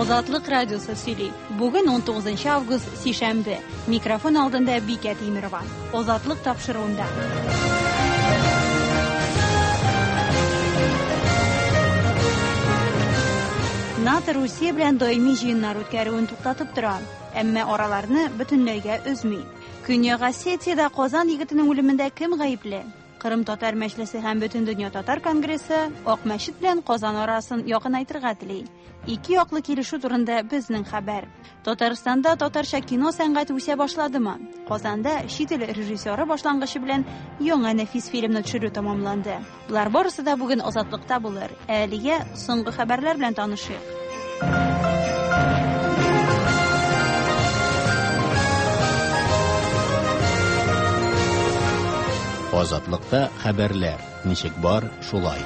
Азатлык радиосы сөйли. Бүген 19 август, сишәмбе. Микрофон алдында Бикә Тимерова. Азатлык тапшыруында. НАТО Русия белән даими җыеннар үткәрүен туктатып тора, әмма араларны бөтенләйгә өзми. Көньяк Осетиядә Казан егетенең үлемендә кем гаепле? Кырым татар мәҗлесе һәм Бөтендөнья татар конгрессы Акмәчет белән Казан арасын якынайтырга тели. Ике яклы килешү турында безнең хәбәр. Татарстанда татарча кино сәнгате үсә башладымы? Казанда чит ил режиссеры башлангычы белән яңа нәфис фильмны төшерү тәмамланды. Болар барысы да бүген Азатлыкта булыр. Ә әлегә соңгы хәбәрләр белән танышыйк. Азатлыкта хәбәрләр ничек бар, шулай.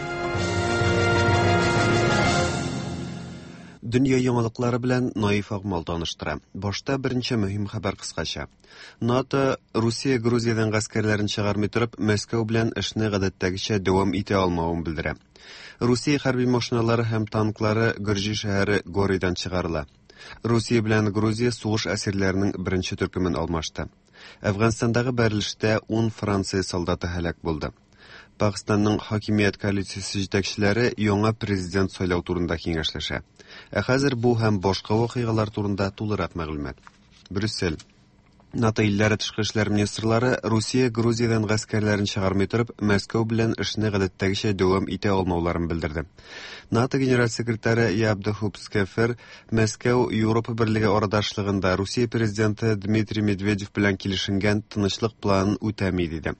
Дөнья яңалыклары белән Наиф Акмал таныштыра. Башта берничә мөһим хәбәр кыскача. НАТО Русия Грузиядән гаскәрләрен чыгармый торып, Мәскәү белән эшне гадәттәгечә дәвам итә алмавын белдерә. Русия хәрби машиналары һәм танклары Гөрҗи шәһәре Горидан чыгарыла. Русия белән Грузия сугыш әсирләренең беренче төркемен алмашты. Әфганстандагы бәрелештә 10 Франция солдаты һәлак булды. Пакъстанның хакимият коалициясе җитәкчеләре яңа президент сайлау турында киңәшләшә. Ә хәзер бу һәм башка вакыйгалар турында тулырак мәгълүмат. Брюссель. НАТО илләре тышкы эшләр министрлары Русия Грузиядән гаскәрләрен чыгармый торып, Мәскәү белән эшне гадәттәгечә дәвам итә алмауларын белдерде. НАТО генераль секретаре Яб де Хупскефер Мәскәү Европа берлеге арадашлыгында Русия президенты Дмитрий Медведев белән килешенгән тынычлык планын үтәми диде.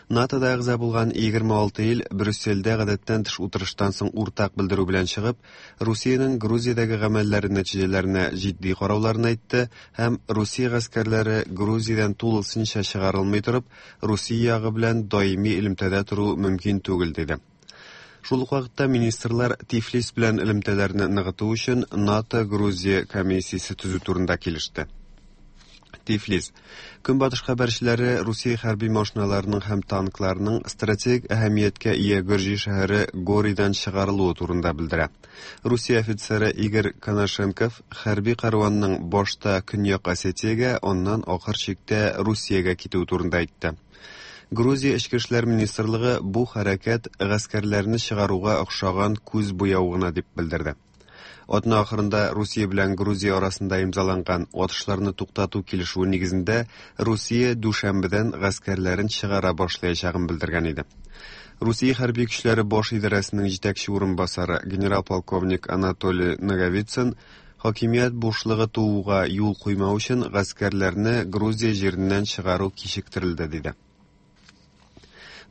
НАТОда әгъза булган 26 ил Брюссельдә гадәттән тыш утырыштан соң уртак белдерү белән чыгып, Русиянең Грузиядәге гамәлләре нәтиҗәләренә җитди карауларын әйтте һәм Русия гаскәрләре Грузиядән тулысынча чыгарылмый торып, Русия ягы белән даими элемтәдә тору мөмкин түгел диде. Шул ук вакытта министрлар Тифлис белән элемтәләрне ныгыту өчен НАТО-Грузия комиссиясе төзү турында килеште. Тифлис. Көнбатыш хәбәрчеләре Русия хәрби машиналарының һәм танкларының стратегик әһәмияткә ия Гөрҗи шәһәре Горидан чыгарылуы турында белдерә. Русия офицеры Игорь Конашенков хәрби кәрванның башта Көньяк Осетиягә, аннан ахыр чиктә Русиягә китүе турында әйтте. Грузия Эчке эшләр министрлыгы бу хәрәкәт гаскәрләрне чыгаруга охшаган күз буяу гына дип белдерде. Атна ахырында Русия белән Грузия арасында имзаланган атышларны туктату килешүе нигезендә Русия дүшәмбедән гаскәрләрен чыгара башлаячагын белдергән иде. Русия хәрби көчләре баш идарәсенең җитәкче урынбасары генерал-полковник Анатолий Наговицын хакимият бушлыгы тууга юл куймау өчен гаскәрләрне Грузия җиреннән чыгару кичектерелде, диде.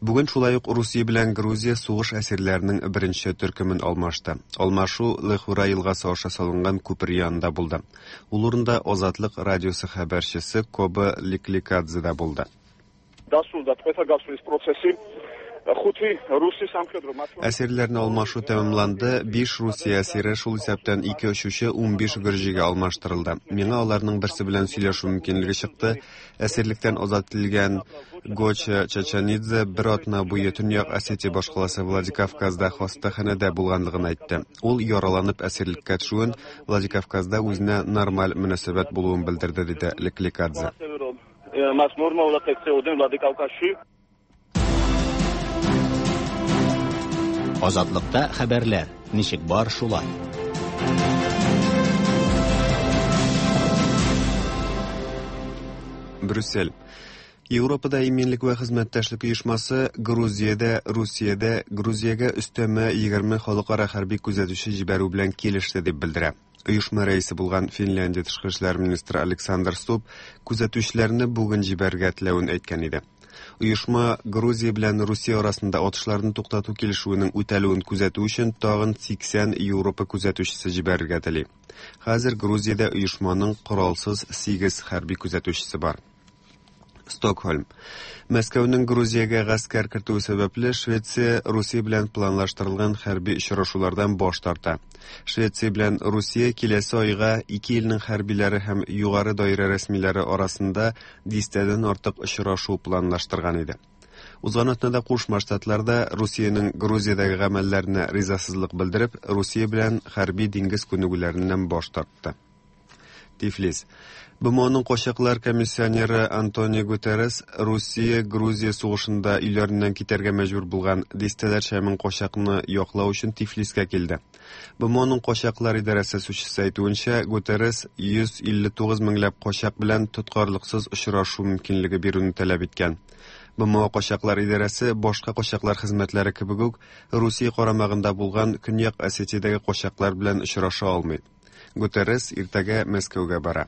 Бүген шулай ук Русия белән Грузия сугыш әсирләренең беренче төркемен алмашты. Алмашу Лехура елгасы аша салынган күпер янында булды. Ул урында Азатлык радиосы хәбәрчесе Коба Ликликадзе да булды. დასრულდა ტყვეთა გასვლის პროცესი. ხუთი რუსი სამხედრო Әсирләрне алмашу тәмамланды. 5 Русия әсире, шул исәптән 2 очучы, 15 гөрҗигә алмаштырылды. Миңа аларның берсе белән сөйләшү мөмкинлеге чыкты. Әсирлектән азат ителгән Гоча Чачанидзе бер атна буе Төньяк Осетия башкаласы Владикавказда хастаханәдә булганлыгын әйтте. Ул яраланып әсирлеккә төшүен, Владикавказда үзенә нормаль мөнәсәбәт булуын белдерде, диде Лекликадзе. ასევე რომ მას ნორმალურად ექცეოდნენ ვლადიკავკაზში. Азатлыкта хәбәрләр ничек бар, шулай. Брюссель. Европада иминлек вә хезмәттәшлек оешмасы Грузиядә, Русиядә Грузиягә өстәмә 20 халыкара хәрби күзәтүче җибәрү белән килеште дип белдерә. Оешма рәисе булган Финляндия тышкы эшләр министры Александр Стуб күзәтүчеләрне бүген җибәрергә теләвен әйткән иде. Оешма Грузия белән Русия арасында атышларны туктату килешүенең үтәлүен күзәтү өчен тагын 80 Европа күзәтүчесе җибәрергә тели. Хәзер Грузиядә оешманың коралсыз 8 хәрби күзәтүчесе бар. Стокһольм. Мәскәүнең Грузиягә гаскәр кертүе сәбәпле Швеция Русия белән планлаштырылган хәрби очрашулардан баш тарта. Швеция белән Русия киләсе айга ике илнең хәрбиләре һәм югары даирә рәсмиләре арасында дистәдән артык очрашу планлаштырган иде. Узган атнада Кушма Штатларда Русиянең Грузиядәге гамәлләренә ризасызлык белдереп, Русия белән хәрби диңгез күнегүләреннән баш тартты. Тифлис. БМОның качаклар комиссионеры Антонио Гутеррес Русия-Грузия сугышында өйләреннән китәргә мәҗбүр булган дистәләрчә мең качакны яклау өчен Тифлискә килде. БМОның качаклар идарәсе сүзчесе әйтүенчә, Гутеррес 159 меңләп качак белән тоткарлыксыз очрашу мөмкинлеге бирүне таләп иткән. БМО качаклар идарәсе башка качаклар хезмәтләре кебек үк Русия карамагында булган Көньяк Осетиядәге качаклар белән очраша алмый. Гутеррес иртәгә Мәскәүгә бара.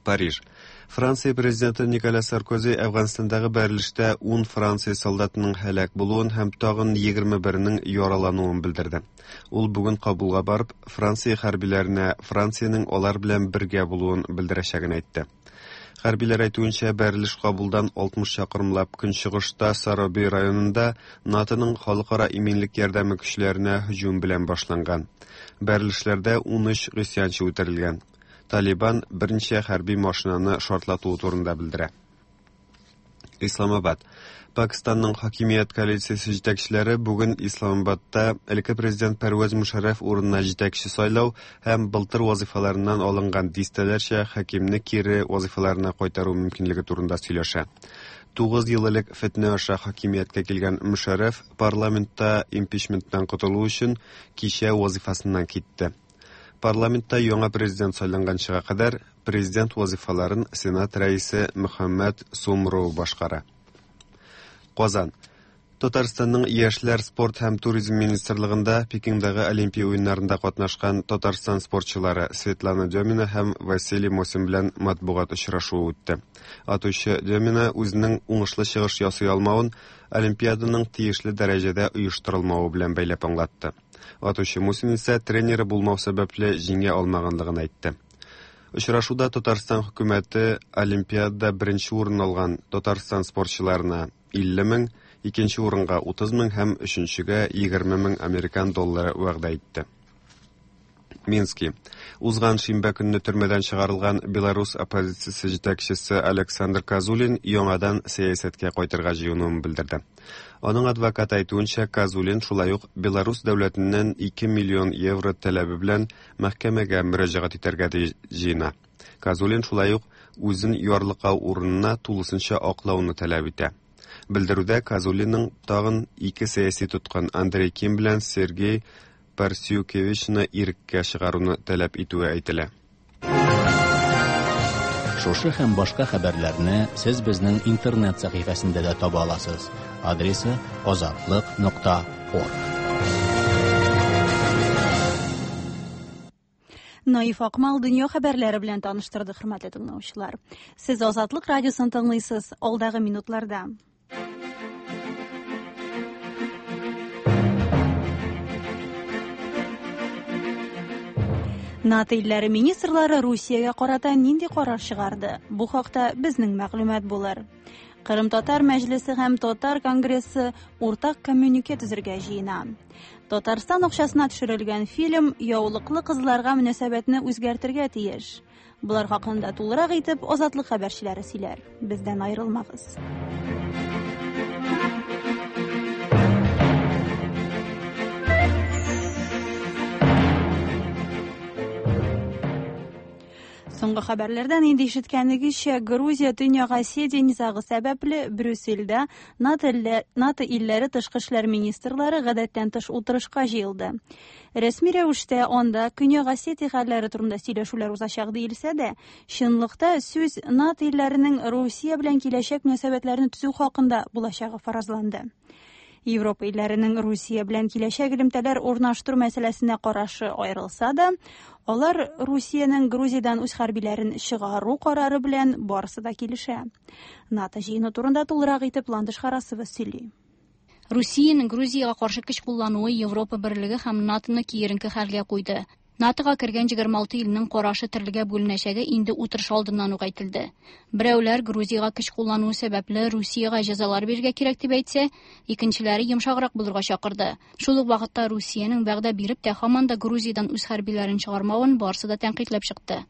Париж. Франция президенты Николя Саркози Әфганстандагы бәрелештә 10 Франция солдатының һәлак булуын һәм тагын 21-нең яралануын белдерде. Ул бүген Кабулга барып, Франция хәрбиләренә Франциянең алар белән бергә булуын белдерәчәген әйтте. Хәрбиләр әйтүенчә, бәрелеш Кабулдан 60 чакрымлап көнчыгышта Сароби районында НАТОның халыкара иминлек ярдәме көчләренә һөҗүм белән башланган. Бәрелешләрдә 13 гыйсьянчы үтерелгән. Талибан берничә хәрби машинаны шартлатуы турында белдерә. Исламабад. Пакистанның хакимият коалициясе җитәкчеләре бүген Исламабадта элекке президент Пәрвәз Мушарраф урынына җитәкче сайлау һәм былтыр вазифаларыннан алынган дистәләрчә хакимне кире вазифаларына кайтару мөмкинлеге турында сөйләшә. 9 ел элек фетнә аша хакимияткә килгән Мушарраф парламентта импичменттан котылу өчен кичә вазифасыннан китте. Парламентта яңа президент сайланганчыга кадәр президент вазифаларын Сенат рәисе Мөхәммәд Сумро башкара. Казан. Татарстанның яшьләр, спорт һәм туризм министрлыгында Пекиндагы Олимпия уеннарында катнашкан Татарстан спортчылары Светлана Демина һәм Василий Мосин белән матбугат очрашуы үтте. Атучы Демина үзенең уңышлы чыгыш ясый алмавын Олимпиаданың тиешле дәрәҗәдә оештырылмавы белән бәйләп аңлатты. Атучы Мусин исә тренеры булмау сәбәпле җиңә алмаганлыгын әйтте. Очрашуда Татарстан хөкүмәте Олимпиадада беренче урын алган Татарстан спортчыларына 50 мең, икенче урынга 30 мең һәм өченчегә 20 мең американ доллары вәгъдә итте. Мински. Узган шимбә көнне төрмәдән чыгарылган Беларус оппозициясе җитәкчесе Александр Козулин яңадан сәясәткә кайтырга җыенуын белдерде. Аның адвокаты әйтүенчә, Козулин шулай ук Беларус дәүләтеннән 2 миллион евро таләбе белән мәхкәмәгә мөрәҗәгать итәргә җыена. Козулин шулай ук үзен ярлыкау урынына тулысынча аклауны таләп итә. Белдерүдә Козулинның тагын ике сәяси тоткын Андрей Ким белән Сергей Парсюкевичны иреккә чыгаруны таләп итүе әйтелә. Шушы һәм башка хәбәрләрне сез безнең интернет сәхифәсендә дә таба аласыз. Адресы azatliq.org. Наиф Акмал дөнья хәбәрләре белән таныштырды, хөрмәтле тыңлаучылар. Сез Азатлык радиосын тыңлыйсыз. Алдагы минутларда НАТО илләре министрлары Русиягә карата нинди карар чыгарды? Бу хакта безнең мәгълүмат булыр. Кырым татар мәҗлесе һәм Татар конгрессы уртак коммюнике төзергә җыена. Татарстан акчасына төшерелгән фильм яулыклы кызларга мөнәсәбәтне үзгәртергә тиеш. Булар хакында тулырак итеп Азатлык хәбәрчеләре сөйләр. Бездән аерылмагыз. Соңгы хәбәрләрдән инде ишеткәнегезчә, Грузия Төньяк Осетия низагы сәбәпле Брюссельдә НАТО илләре тышкы эшләр министрлары гадәттән тыш утырышка җыелды. Рәсми рәвештә анда Көньяк Осетия хәлләре турында сөйләшүләр узачак диелсә дә, чынлыкта сүз НАТО илләренең Русия белән киләчәк мөнәсәбәтләрне төзү хакында булачагы фаразланды. Европа илләренең Русия белән киләчәк элемтәләр урнаштыру мәсьәләсенә карашы аерылса да, алар Русиянең Грузиядән үз хәрбиләрен чыгару карары белән барысы да килешә. НАТО җыены турында тулырак итеп Ландыш Харасова сөйли. Русиянең Грузиягә каршы көч куллануы Европа берлеге һәм НАТОны киеренке хәлгә куйды. НАТОга кергән 26 илнең карашы төрлегә бүленәчәге инде утырыш алдыннан ук әйтелде. Берәүләр Грузиягә көч куллануы сәбәпле Русиягә җәзалар бирергә кирәк дип әйтсә, икенчеләре йомшаграк булырга чакырды. Шул ук вакытта Русиянең вәгъдә биреп тә һаман да Грузиядән үз хәрбиләрен чыгармавын барысы да тәнкыйтьләп чыкты.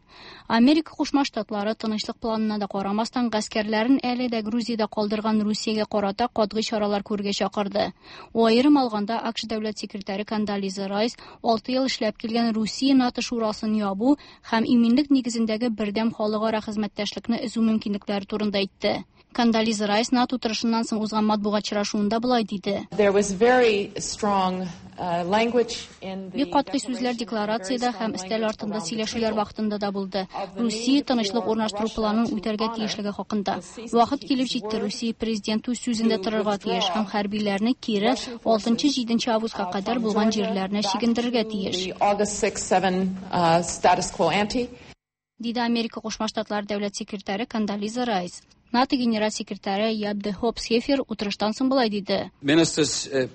Америка Кушма Штатлары тынычлык планына да карамастан гаскәрләрен әле дә Грузиядә калдырган Русиягә карата катгый чаралар күрергә чакырды. Аерым алганда, АКШ дәүләт секретаре Кондолиза Райс 6 ел эшләп килгән Русия НАТО шурасын ябу һәм иминлек нигезендәге бердәм халыкара хезмәттәшлекне өзү мөмкинлекләре турында әйтте. Кондолиза Райс НАТО утырышыннан соң узган матбугат очрашуында болай диде. Бик катгый сүзләр декларациядә һәм өстәл артында сөйләшүләр вакытында да булды. Русия тынычлык урнаштыру планын үтәргә тиешлеге хакында. Вакыт килеп җитте, Русия президенты үз сүзендә торырга тиеш һәм хәрбиләрне кире 6-7 августка кадәр булган җирләренә чигендерергә тиеш. Диде Америка Кушма Штатлары дәүләт секретаре Кондолиза Райс. НАТО генераль секретаре Яп де Хоп Схефер утырыштан соң болай диде. Министрлар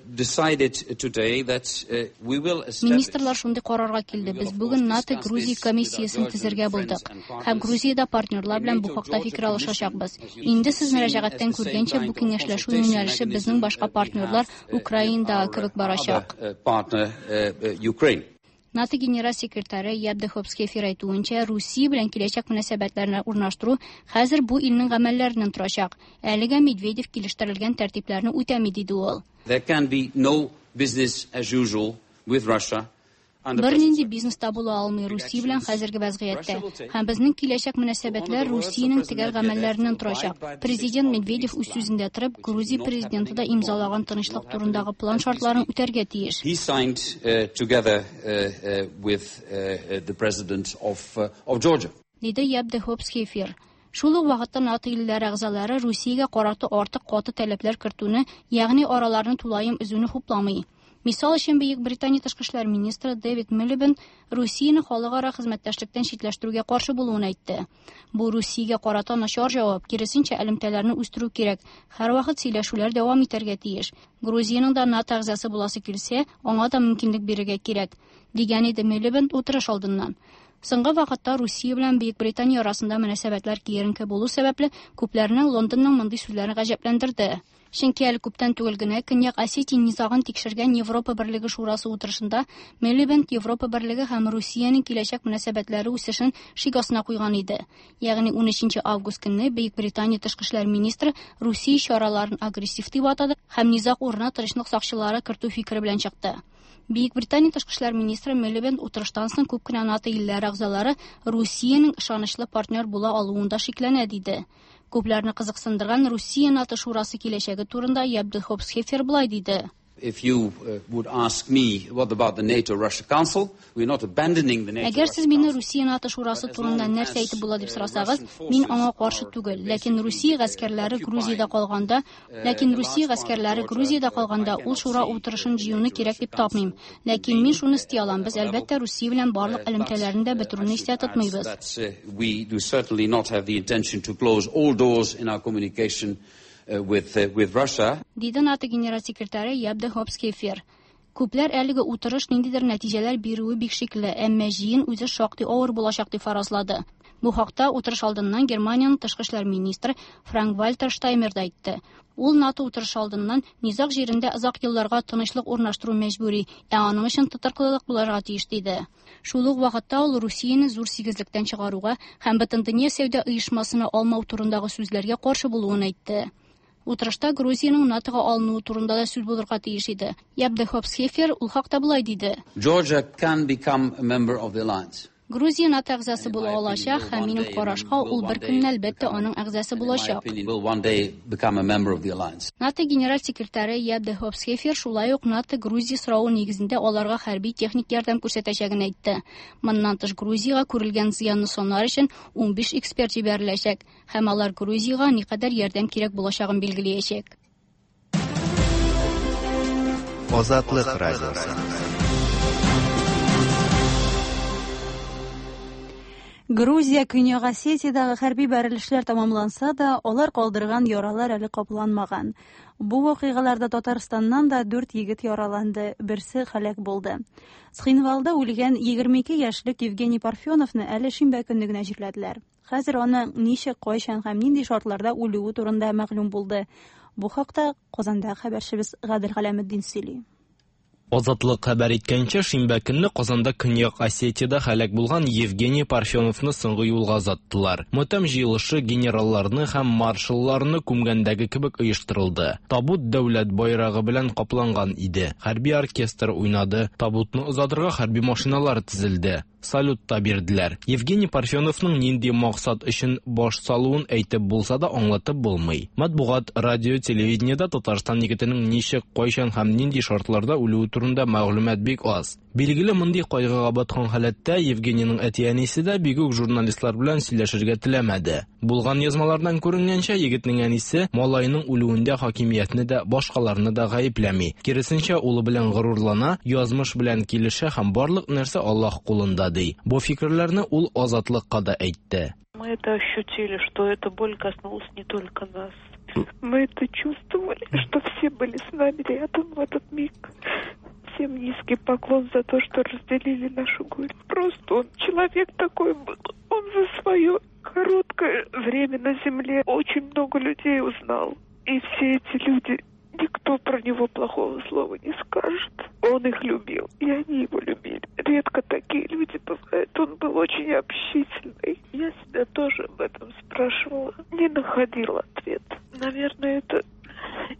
шундый карарга килде. Без бүген НАТО Грузия комиссиясен төзергә булдык. Һәм Грузиядә партнерлар белән бу хакта фикер алышачакбыз. Инде сез мөрәҗәгатьтән күргәнчә, бу киңәшләшү юнәлеше безнең башка партнерлар Украинадагы кебек барачак. НАТО генераль секретаре Яп де Хоп Схефер әйтүенчә, Русия белән киләчәк мөнәсәбәтләрне урнаштыру хәзер бу илнең гамәлләреннән торачак. Әлегә Медведев килештерелгән тәртипләрне үтәми, диде ул. There can be no business as usual with Russia. Бернинди бизнес та була алмый Русия белән хәзерге вәзгыятьтә. Һәм безнең киләчәк мөнәсәбәтләр Русиянең төгәл гамәлләреннән торачак. Президент Медведев үз сүзендә торып, Грузия президенты да имзалаган тынычлык турындагы план шартларын үтәргә тиеш. He signed together with the president of Georgia. Диде Яп де Хоп Схефер. Шул ук вакытта НАТО илләре әгъзалары Русиягә карата артык каты таләпләр кертүне, ягъни араларны тулаем өзүне хупламый. Мисал өчен, Бөек Британия тышкы эшләр министры Дэвид Милибенд Русияне халыкара хезмәттәшлектән читләштерүгә каршы булуын әйтте. Бу Русиягә карата начар җавап, киресенчә элемтәләрне үстерү кирәк. Һәрвакыт сөйләшүләр дәвам итәргә тиеш. Грузиянең дә НАТО әгъзасы буласы килсә, аңа да мөмкинлек бирергә кирәк, дигән иде Милибенд утырыш алдыннан. Соңгы вакытта Русия белән Бөек Британия арасында мөнәсәбәтләр киеренке булу сәбәпле, күпләрне Лондонның мондый сүзләре гаҗәпләндерде. Чөнки әле күптән түгел генә Көньяк Осетия низагын тикшергән Европа Берлеге Шурасы утырышында Милибенд Европа Берлеге һәм Русиянең киләчәк мөнәсәбәтләре үсешен шик астына куйган иде. Ягъни 13 август көнне Бөек Британия тышкы эшләр министры Русия чараларын агрессив дип атады һәм низаг урынына тынычлык сакчылары кертү фикере белән чыкты. Бөек Британия тышкы эшләр министры Милибенд утырыштан соң күп кенә НАТО илләре әгъзалары Русиянең ышанычлы партнер була алуында шикләнә диде. Күпләрне кызыксындырган Русия НАТО шурасы киләчәге турында Яп де Хоп Схефер болай диде. If you would ask me what about the NATO-Russia Council, we're not abandoning the NATO. Әгәр сез мине Русия НАТО шурасы турында нәрсә әйтеп була дип сорасагыз, мин аңа каршы түгел. Ләкин Русия гаскәрләре Грузиядә калганда, ләкин Русия гаскәрләре Грузиядә калганда ул шура утырышын җыюны кирәк дип тапмыйм. Ләкин мин шуны исти алам, без әлбәттә Русия белән барлык элемтәләрне дә бетерүне истә тотмыйбыз. We do certainly not have the intention to close all doors in our communication with Russia. Диде НАТО генераль секретаре Яп де Хоп Схефер. Күпләр әлеге утырыш ниндидер нәтиҗәләр бирүе бик шикле, әмма җыен үзе шактый авыр булачак дип фаразлады. Бу хакта утырыш алдыннан Германиянең тышкы эшләр министры Франк-Вальтер Штаймер да әйтте. Ул НАТО утырышы алдыннан низаг җирендә озак елларга тынычлык урнаштыру мәҗбүри, ә аның өчен тотрыклылык булырга тиеш диде. Шул ук вакытта ул Русияне зур сигезлектән чыгаруга һәм Бөтендөнья сәүдә оешмасына алмау турындагы сүзләргә каршы булуын әйтте. Утырышта Грузиянең НАТОга алынуы турында да сүз булырга тиеш иде. Яп де Хоп Схефер ул хакта болай диде. Georgia can become a member of the alliance. Грузия НАТО әгъзасы була алачак һәм минем карашка ул бер көнне әлбәттә аның әгъзасы булачак. НАТО генераль секретаре Яп де Хоп Схефер шулай ук НАТО Грузия соравы нигезендә аларга хәрби техник ярдәм күрсәтәчәген әйтте. Моннан тыш Грузиягә күрелгән зыянны санар өчен 15 эксперт җибәреләчәк һәм алар Грузиягә никадәр ярдәм кирәк булачагын билгеләячәк. Азатлык радиосы. Грузия Көньяк Осетиядәге хәрби бәрелешләр тәмамланса да, алар калдырган яралар әле капланмаган. Бу вакыйгаларда Татарстаннан да дүрт егет яраланды, берсе һәлак булды. Цхинвалда үлгән 22 яшьлек Евгений Парфеновны әле шимбә көнне генә җирләделәр. Хәзер аның ничек, кайчан һәм нинди шартларда үлүе турында мәгълүм булды. Бу хакта Казанда хәбәрчебез Гадел Галәметдин сөйли. Азатлык хәбәр иткәнчә, шимбә көнне Казанда Көньяк Осетиядә һәлак булган Евгений Парфеновны соңгы юлга озаттылар. Матәм җыелышы генералларны һәм маршалларны күмгәндәге кебек оештырылды. Табут дәүләт байрагы белән капланган иде. Хәрби оркестр уйнады. Табутны озатырга хәрби машиналар тезелде. Салют та бирделәр. Евгений Парфеновның нинди максат өчен баш салуын әйтеп булса да аңлатып булмый. Матбугат, радио, телевидениедә Татарстан егетенең ничек, кайчан һәм нинди шартларда үлүе турында мәгълүмат бик аз. Билгеле, мондый кайгыга баткан халәттә Евгенийның әти-әнисе дә бик үк журналистлар белән сөйләшергә теләмәде. Булган язмалардан күренгәнчә, егетнең әнисе малаеның үлүендә хакимиятне дә, башкаларны да гаепләми. Киресенчә, улы белән горурлана, язмыш белән килешә һәм барлык нәрсә Аллаһ кулында ди. Бу фикерләрне ул Азатлыкка да әйтте. Мы это ощутили, что эта боль коснулась не только нас. Мы это чувствовали, что все были с нами рядом в этот миг. Всем низкий поклон за то, что разделили нашу горе. Просто он человек такой был. Он за свое короткое время на земле очень много людей узнал. И все эти люди, никто про него плохого слова не скажет. Он их любил, и они его любили. Редко такие люди бывают. Он был очень общительный. Я себя тоже об этом спрашивала. Не находила ответ. Наверное, это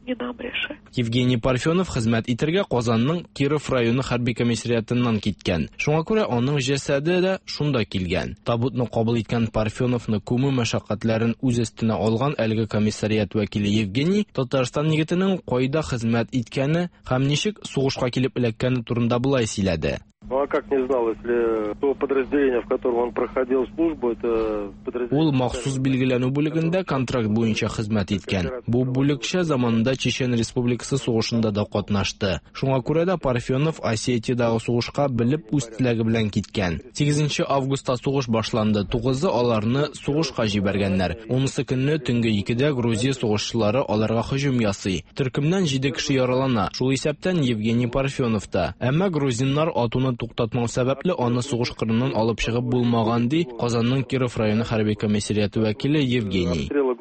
не нам решать. Евгений Парфенов хезмәт итәргә Казанның Киров районы хәрби комиссариатыннан киткән. Шуңа күрә аның җәсәде дә шунда килгән. Табутны кабул иткән Парфеновны күмү мәшәкатьләрен үз өстенә алган әлеге комиссариат вәкиле Евгений Татарстан егетенең кайда хезмәт иткәне һәм ничек сугышка килеп эләккәне турында болай сөйләде. Ну а как не знал, если то подразделение, в котором он проходил службу, это подразделение... Ул махсус билгеләнү бүлегендә контракт буенча хезмәт иткән. Бу бүлекчә заманында Чечен Республикасы сугышында да катнашты. Шуңа күрә дә Парфенов Осетиядагы сугышка белеп үз теләге белән киткән. 8 августта сугыш башланды. 9-ы аларны сугышка җибәргәннәр. 10-сы көнне төнге 2-дә Грузия сугышчылары аларга һөҗүм ясый. Төркемнән 7 кеше яралана, шул исәптән Евгений Парфенов та. Әмма грузиннар атуны туктатмау сәбәпле аны сугыш кырыннан алып чыгып булмаган, ди Казанның Киров районы хәрби комиссариаты вәкиле Евгений. Обстрела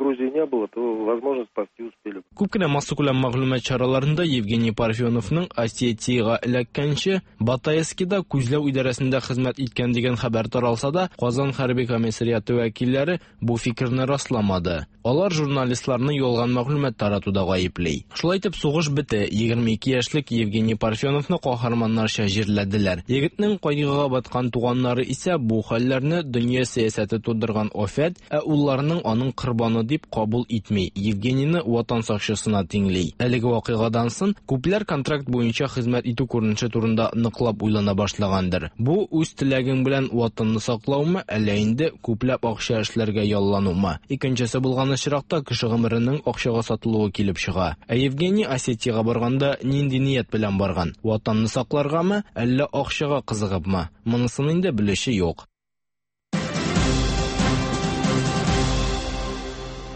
Грузии не было, то, возможно, спасти успели. Күп кенә массакүләм мәгълүмат чараларында Евгений Парфеновның Осетиягә эләккәнче Батайскида күзләү идарәсендә хезмәт иткән дигән хәбәр таралса да, Казан хәрби комиссариаты вәкилләре бу фикерне расламады. Алар журналистларны ялган мәгълүмат таратуда гаепли. Шулай итеп сугыш бетте. 22 яшьлек Евгений Парфеновны каһарманнарча җирләделәр. Егетнең кайгыга баткан туганнары исә бу хәлләрне дөнья сәясәте тудырган афәт, ә улларының аның корбаны дип кабул итми. Евгенийны ватан сакчысына тиңли. Әлеге вакыйгадан соң күпләр контракт буенча хезмәт итү күренеше турында ныклап уйлана башлагандыр. Бу үз теләгең белән ватанны саклаумы, әллә инде күпләп акча эшләргә ялланумы? Икенчесе булган очракта кеше гомеренең акчага сатылуы килеп чыга. Ә Евгений Осетиягә барганда нинди ният белән барган? Ватанны сакларгамы, әллә акчага кызыгыпмы? Монысын инде белүче юк.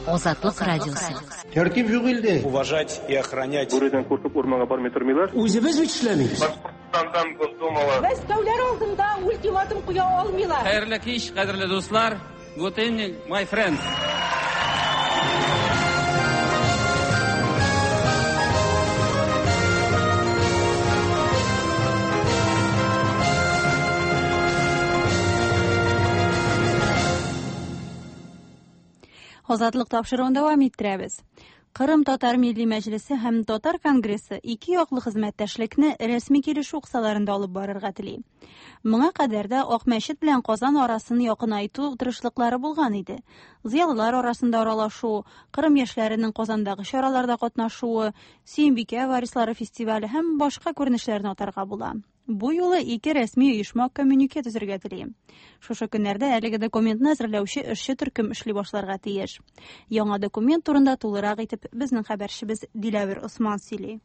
Азатлык радиосы. Тәртип юк илдә. Уважать и охранять. Бүредән куркып урманга бармый тормыйлар. Үзебез бит эшләмибез. Башкортстандан Госдумала. Мәскәүләр алдында ультиматум куя алмыйлар. Хәерле кич, кадерле дуслар. Good evening, my friends. Азатлык тапшыруын дәвам иттерәбез. Кырым татар милли мәҗлесе һәм Татар конгрессы ике яклы хезмәттәшлекне рәсми килешү кысаларында алып барырга тели. Моңа кадәр дә Акмәчет белән Казан арасын якынайту тырышлыклары булган иде. Зыялылар арасында аралашу, Кырым яшьләренең Казандагы чараларда катнашуы, Сөембикә варислары фестивале һәм башка күренешләрне атарга була. Бу юлы ике рәсми оешма коммюнике төзергә тели. Шушы көннәрдә әлеге документны әзерләүче эшче төркем эшли башларга тиеш. Яңа документ турында тулырак итеп безнең хәбәрчебез Диләвер Осман сөйли.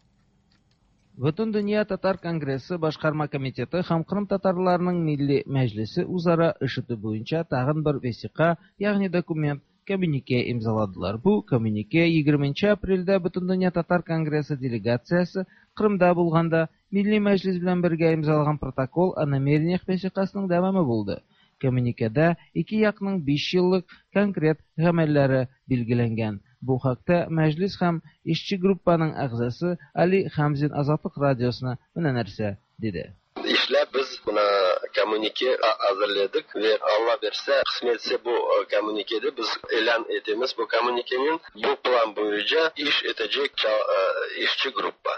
Бөтендөнья татар конгрессы башкарма комитеты һәм Кырым татарларының милли мәҗлесе үзара эш итү буенча тагын бер весика, ягъни документ, коммюнике имзаладылар. Бу коммюнике 20 апрельдә Бөтендөнья татар конгрессы делегациясе Кырымда булганда Милли мәҗлес белән бергә имзалаган протокол о намерениях весикасының дәвамы булды. Коммюникеда ике якның 5 еллык конкрет гамәлләре билгеләнгән. Бу хакта мәҗлес һәм эшче группаның әгъзасы Али Хамзин Азатлык радиосына менә нәрсә диде. Эшләп без менә коммюнике әзерләдек вә Алла бирсә, кысмәтсә бу коммюникеде без элан итәмез. Бу коммюникенең бу план буенча эш итәчәк эшче группа.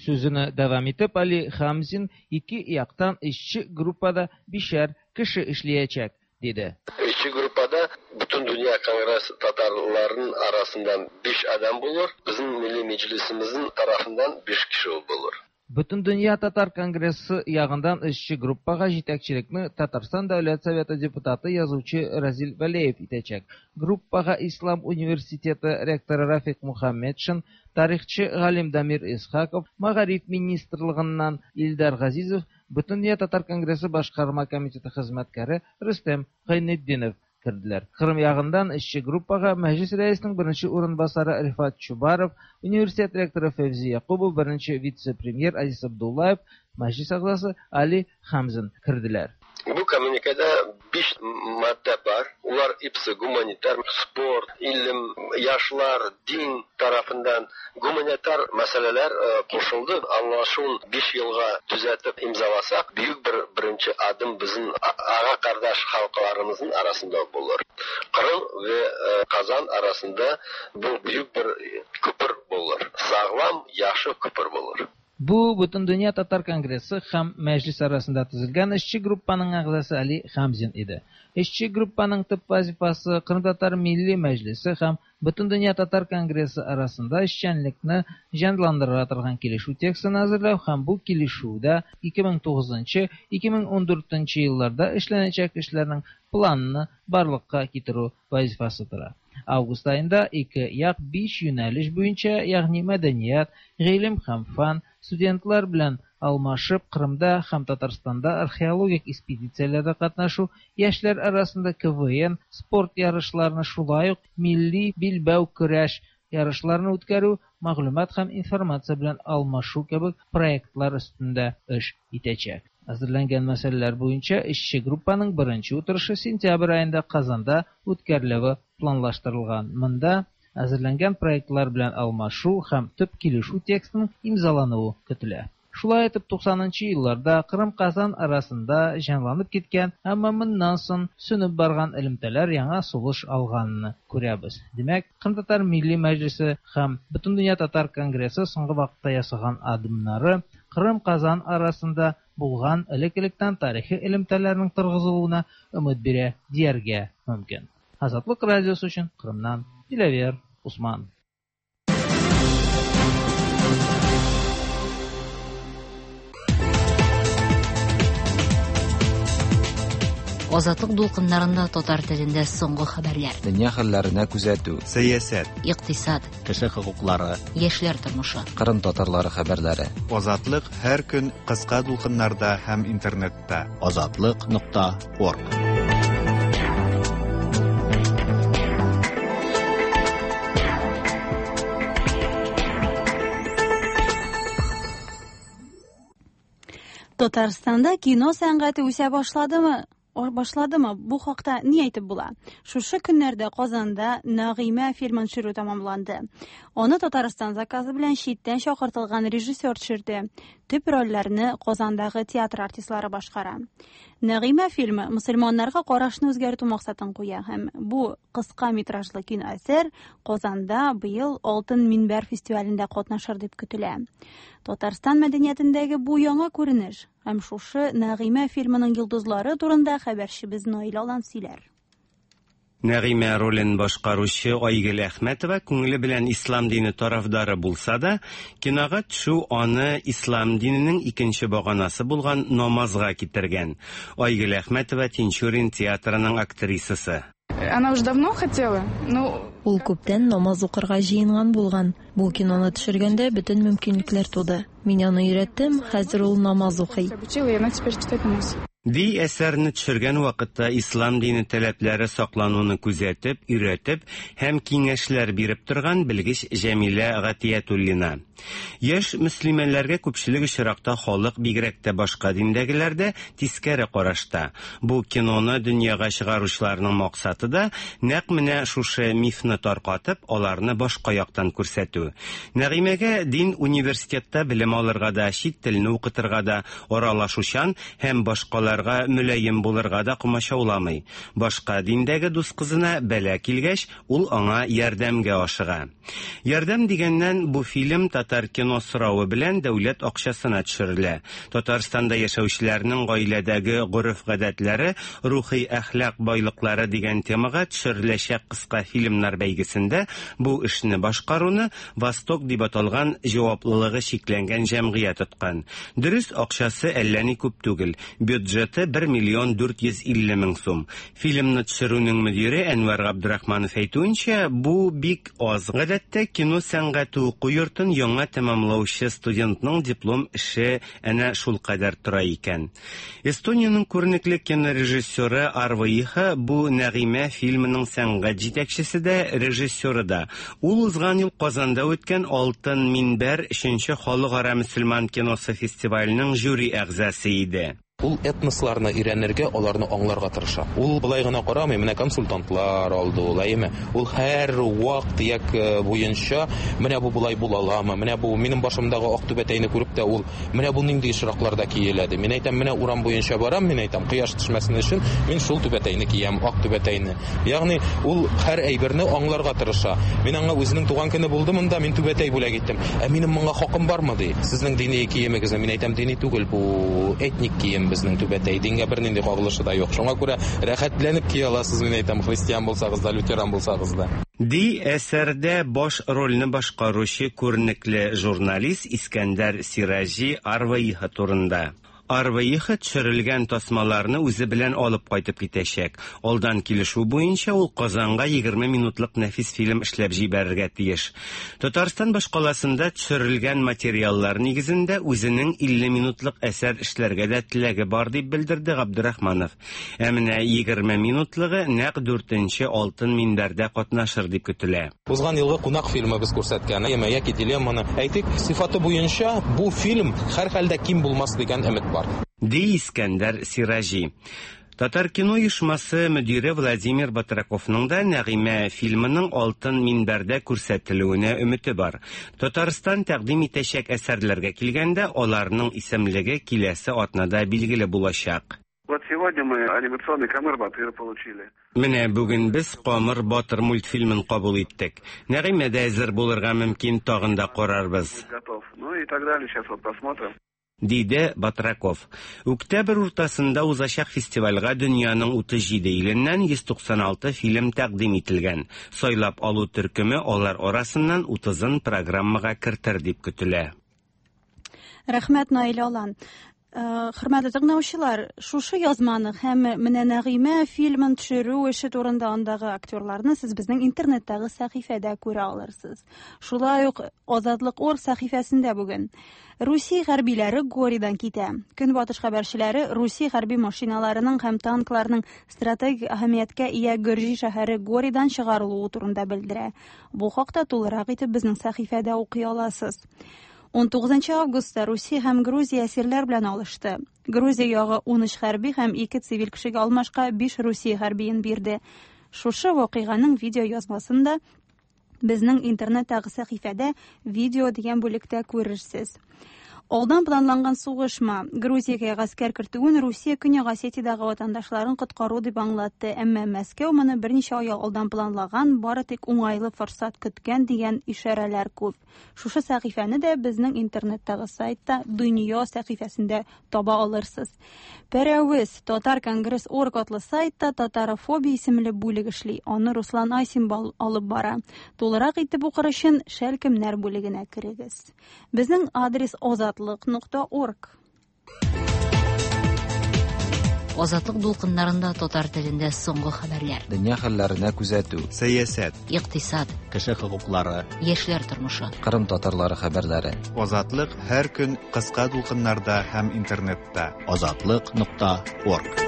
Сүзен дәвам итеп Али Хамзин ике яктан эшче группада бишәр кеше эшләячәк, диде. Эшче группада Бөтендөнья конгресс татарларының арасыннан 5 адам булыр, безнең Милли Мәҗлесебезнең тарафыннан 5 кеше булыр. Бөтендөнья татар конгрессы ягыннан эшче группага җитәкчелекне Татарстан Дәүләт Советы депутаты язучы Разил Вәлиев итәчәк. Группага Ислам университеты ректоры Рафик Мухаммедшин, тарихчы галим Дамир Исхаков, Мәгариф министрлыгыннан Илдар Газизов, Бөтендөнья татар конгрессы башкарма комитеты хезмәткәре Рөстәм Гайнетдинов керделәр. Кырым ягыннан эшче группага Мәҗлес рәисенең беренче урынбасары Рифат Чубаров, университет ректоры Фәвзи Якубов, беренче вице-премьер Азиз Абдуллаев, Мәҗлес әгъзасы Али Хамзин керделәр. Бу коммюникеда 5 маддә бар. Улар ипсе гуманитар, спорт, илем, яшьләр, дин тарафыннан гуманитар мәсьәләләр кушылды. Аңлашуын 5 елга төзәтеп имзаласак, бөек бер беренче адым безнең ага кардәш халыкларыбызның арасында булыр. Кырым вә Казан арасында бу бөек бер күпер булыр. Саглам, яхшы күпер булыр. Бу Бөтендөнья татар конгрессы һәм мәҗлес арасында төзелгән эшче группаның әгъзасы Али Хамзин иде. Эшче группаның төп вазифасы Кырым татар милли мәҗлесе һәм Бөтендөнья татар конгрессы арасында эшчәнлекне җанландыра торган килешү текстын әзерләү һәм бу килешүдә 2009-2014 елларда эшләнәчәк эшләрнең планны барлыкка китерү вазифасы тора. Август аенда ике як 5 юнәлеш буенча, ягъни мәдәният, гыйлем һәм фән, студентлар белән алмашып Кырымда һәм Татарстанда археологик экспедицияләрдә катнашу, яшьләр арасында КВН, спорт ярышларны, шулай ук милли билбау көрәш ярышларын үткәрү, мәгълүмат һәм информация белән алмашу кебек проектлар өстендә эш итәчәк. Әзерләнгән мәсьәләләр буенча эшче группаның беренче утырышы сентябрь аенда Казанда үткәрелүе планлаштырылган. Монда әзерләнгән проектлар белән алмашу һәм төп килешү текстының имзалануы көтелә. Шулай итеп 90нчы елларда Кырым-Казан арасында җанланып киткән, әмма моннан соң сүнеп барган элемтәләр яңа сулыш алганны күрәбез. Димәк, Кырым татар милли мәҗлесе һәм Бөтендөнья татар конгрессы соңгы вакытта ясаган адымнары Кырым-Казан арасында булган элек-электән тарихи элемтәләрнең торгызылуына өмет бирә дияргә мөмкин. Азатлык радиосы өчен Кырымнан Диләвер Усман. Азатлык дулкыннарында татар телендә соңгы хәбәрләр. Дөнья хәлләренә күзәтү. Сәясәт. Икътисад. Кеше хокуклары. Яшьләр тормышы. Кырым татарлары хәбәрләре. Азатлык һәр көн кыска дулкыннарда һәм интернетта. Азатлык.орг. Татарстанда кино сәнгате үсә башладымы? Башладымы? Бу хакта ни әйтеп була? Шушы көннәрдә Казанда Нәгыймә фильмын төшерү тәмамланды. Аны Татарстан заказы белән читтән чакыртылган режиссер төшерде. Төп рольләрне Казандагы театр артистлары башкара. Нәгыймә фильмы мөселманнарга карашны үзгәртү максатын куя һәм бу кыска метражлы кино әсәр Казанда быел Алтын минбәр фестивалендә катнашыр дип көтелә. Татарстан мәдәниятендәге бу яңа күренеш һәм шушы Нәгыймә фильмының йолдызлары турында хәбәрчебез Наил Алан сөйләр. Нәгыймә ролен башкаручы Айгөл Әхмәтова күңеле белән ислам дине тарафдары булса да, кинога төшү аны ислам диненең икенче баганасы булган намазга китергән. Айгөл Әхмәтова Тинчурин театрының актрисасы. Она уже давно хотела, но... Ул күптән намаз укырга җыенган булган. Бу киноны төшергәндә бөтен мөмкинлекләр туды. Мин аны өйрәттем, хәзер ул намаз укый. Ди әсәрне төшергән вакытта ислам дине таләпләре саклануны күзәтеп, өйрәтеп һәм киңәшләр биреп торган белгеч Җәмилә Гатиятуллина. Яшь мөслимәләргә күпчелек очракта халык, бигрәк тә башка диндәгеләр дә, тискәре карашта. Бу киноны дөньяга чыгаручыларның максаты да нәкъ менә шушы мифны таркатып, аларны башка яктан күрсәтү. Нәгыймәгә дин университетта белем алырга да, чит телне укытырга да, аралашучан һәм башкаларга мөлаем булырга да комачауламый. Башка диндәге дус кызына бәла килгәч, ул аңа ярдәмгә ашыга. Ярдәм дигәннән, бу фильм Татаркино соравы белән дәүләт акчасына төшерелә. Татарстанда яшәүчеләрнең гаиләдәге гореф-гадәтләре, рухи-әхлак байлыклары дигән темага төшереләчәк кыска фильмнар бәйгесендә бу эшне башкаруны Восток дип аталган җаваплылыгы чикләнгән җәмгыять откан. Дөрес, акчасы әллә ни күп түгел, бюджеты 1 миллион 450 мең сум. Фильмны төшерүнең мөдире Әнвәр Габдрахманов әйтүенчә, бу бик аз. Гадәттә, кино сәнгате уку йортын яңа тәмамлаучы студентның диплом эше әнә шулкадәр тора икән. Эстониянең күренекле кинорежиссеры Арво Иха бу Нәгыймә фильмының сәнгать җитәкчесе дә, режиссеры да. Ул узган ел Казанда үткән Алтын минбәр өченче халыкара мөселман киносы фестиваленең жюри әгъзасы иде. Ул этносларны өйрәнергә, аларны аңларга тырыша. Ул болай гына карамый, менә консультантлар алды ул, әйеме? Ул һәр вак-төяк буенча, менә бу болай була аламы, менә бу минем башымдагы ак түбәтәйне күреп тә ул, менә бу нинди очракларда киелә ди. Мин әйтәм, менә урам буенча барам, мин әйтәм, кояш төшмәсен өчен мин шул түбәтәйне киям, ак түбәтәйне. Ягъни ул һәр әйберне аңларга тырыша. Мин аңа үзенең туган көне булды монда, мин түбәтәй бүләк иттем. Ә минем моңа хакым бармы, ди. Сезнең дини киемегезне, мин әйтәм, дини түгел, бу этник кием безнең түбәтәй, дингә бернинди кагылышы да юк. Шуңа күрә рәхәтләнеп кия аласыз, мин әйтәм, христиан булсагыз да, лютеран булсагыз да. Ди әсәрдә баш рольне башкаручы күренекле журналист Искәндәр Сираҗи Арваиха турында. Арваиха төшерелгән тасмаларны үзе белән алып кайтып китәчәк. Алдан килешү буенча ул Казанга 20 минутлык нәфис фильм эшләп җибәрергә тиеш. Татарстан башкаласында төшерелгән материаллар нигезендә үзенең 50 минутлык әсәр эшләргә дә теләге бар дип белдерде Габдрахманов. Ә менә 20 минутлыгы нәкъ дүртенче Алтын минбәрдә катнашыр дип көтелә. Узган елгы Кунак фильмы без күрсәткән, әйеме, яки Дилемманы. Әйтик, сыйфаты буенча бу фильм һәрхәлдә ким булмас дигән өмет бар. Ди Искәндәр Сираҗи. Татаркино оешмасы мөдире Владимир Батраковның да Нәгыймә фильмының Алтын минбәрдә күрсәтелүенә өмете бар. Татарстан тәкъдим итәчәк әсәрләргә килгәндә, аларның исемлеге киләсе атнада билгеле булачак. Вот сегодня мы анимационный Камыр Батыр получили. Менә бүген без Камыр Батыр мультфильмын кабул иттек. Нәгыймә дә әзер булырга мөмкин, тагын да карарбыз. Готов. Ну и так далее, сейчас вот посмотрим. Диде Батраков. Үктәбер уртасында узачак фестивальгә дөньяның 37 иленнән 196 фильм тәкъдим ителгән. Сайлап алу төркеме алар арасыннан 30-ын программага кертер дип көтелә. Рәхмәт, Наил Алан. Хөрмәтле тыңлаучылар, шушы язманы һәм менә Нәгыймә фильмын төшерү эше турында андагы актерларны сез безнең интернеттагы сәхифәдә күрә алырсыз. Шулай ук Азатлык орг сәхифәсендә бүген Русия хәрбиләре Горидан китә. Көнбатыш хәбәрчеләре Русия хәрби машиналарының һәм танкларының стратегик әһәмияткә ия Гөрҗи шәһәре Горидан чыгарылуы турында белдерә. Бу хакта тулырак итеп безнең сәхифәдә укый аласыз. 19 августта Русия һәм Грузия әсирләр белән алышты. Грузия ягы 13 хәрби һәм 2 цивиль кешегә алмашка 5 Русия хәрбиен бирде. Шушы вакыйганың видео язмасын да безнең интернеттагы сәхифәдә видео дигән бүлектә күрерсез. Алдан планланган сугышмы? Грузиягә гаскәр кертүен Русия Көньяк Осетиядәге ватандашларын коткару дип аңлатты, әмма Мәскәү моны берничә ай алдан планлаган, бары тик уңайлы форсат көткән дигән ишарәләр күп. Шушы сәхифәне дә безнең интернеттагы сайтта Дөнья сәхифәсендә таба алырсыз. Пәрәвез Татар Конгресс орг атлы сайтта Татарофобия исемле бүлек эшли. Аны Руслан Айсин алып бара. Тулырак итеп укыр өчен Шәлкемнәр бүлегенә керегез. Безнең адрес азатлык нокта орг. Азатлык дулкыннарында татар телендә соңгы хәбәрләр. Дөнья хәлләренә күзәтү. Сәясәт. Икътисад. Кеше хокуклары. Яшьләр тормышы. Кырым татарлары хәбәрләре. Азатлык һәр көн кыска дулкыннарда һәм интернетта. Азатлык.орг.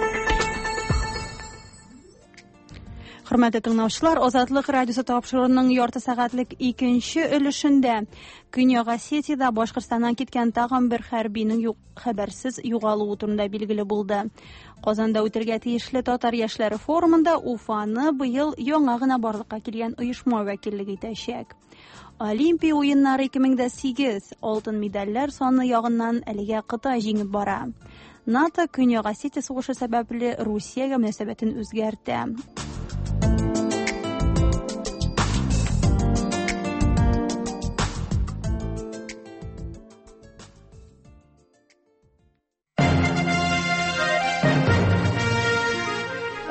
Хөрмәтле тыңлаучылар, Азатлык радиосы тапшыруының ярты сәгатьлек икенче өлешендә Көньяк Осетиядә Башкортстаннан киткән тагын бер хәрбинең хәбәрсез югалуы турында билгеле булды. Казанда үтергә тиешле татар яшьләре форумында Уфаны быел яңа гына барлыкка килгән оешма вәкиллек итәчәк. Олимпия уеннары 2008 алтын медальләр саны ягыннан әлегә Кытай җиңеп бара. НАТО Көньяк Осетия сугышы сәбәпле Русиягә мөнәсәбәтен үзгәртә.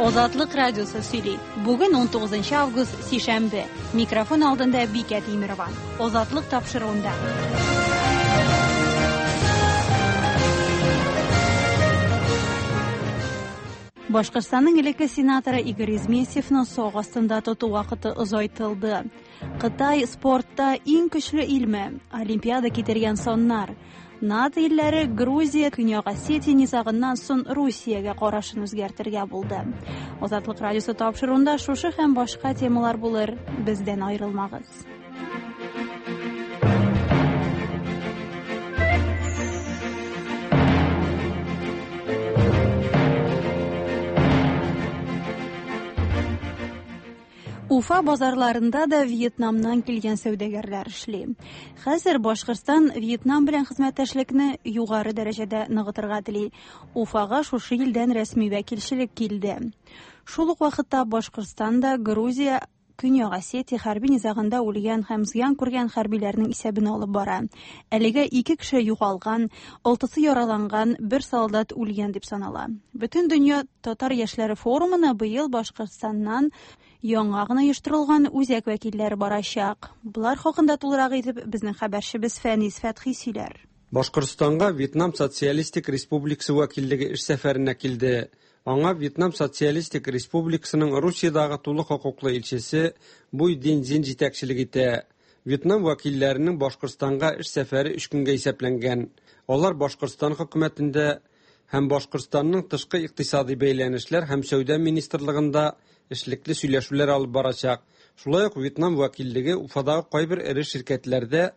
Азатлык радиосы сөйли. Бүген 19 август, сишәмбе. Микрофон алдында Бикә Тимирова. Азатлык тапшыруында. Башкортстанның элекке сенаторы Игорь Изместьевны сак астында тоту вакыты озайтылды. Кытай спортта иң көчле илме? Олимпиада китергән саннар. НАТО илләре Грузия, Көньяк Осетия низагыннан соң Русиягә карашын үзгәртергә булды. Азатлык радиосы тапшыруында шушы һәм башка темалар булыр. Бездән аерылмагыз. Уфа базарларында да Вьетнамнан килгән сәүдәгәрләр эшли. Хәзер Башкортстан Вьетнам белән хезмәттәшлекне югары дәрәҗәдә ныгытырга тели. Уфага шушы илдән рәсми вәкилчелек килде. Шул ук вакытта Башкортстанда Грузия Көньяк Осетия хәрби низагында үлгән һәм зыян күргән хәрбиләрнең исәбен алып бара. Әлегә 2 кеше югалган, 6-сы яраланган, 1 солдат үлгән дип санала. Бөтен дөнья татар яшьләре форумына быел Башкортстаннан яңа гына оештырылган үзәк вәкилләре барачак. Болар хакында тулырак итеп безнең хәбәрчебез Фәнис Фәтхи сөйләр. Башкортстанга Вьетнам Социалистик Республикасы вәкиллеге эш сәфәренә килде. Аңа Вьетнам Социалистик Республикасының Русиядагы тулы хокуклы илчесе Буй Дин Зин җитәкчелек итә. Вьетнам вәкилләренең Башкортстанга эш сәфәре 3 көнгә исәпләнгән. Алар Башкортстан хөкүмәтендә һәм Башкортстанның тышкы икътисади бәйләнешләр һәм сәүдә министрлыгында эшлекле сөйләшүләр алып барачак. Шулай ук Вьетнам вәкиллеге Уфадагы кайбер эре ширкәтләрдә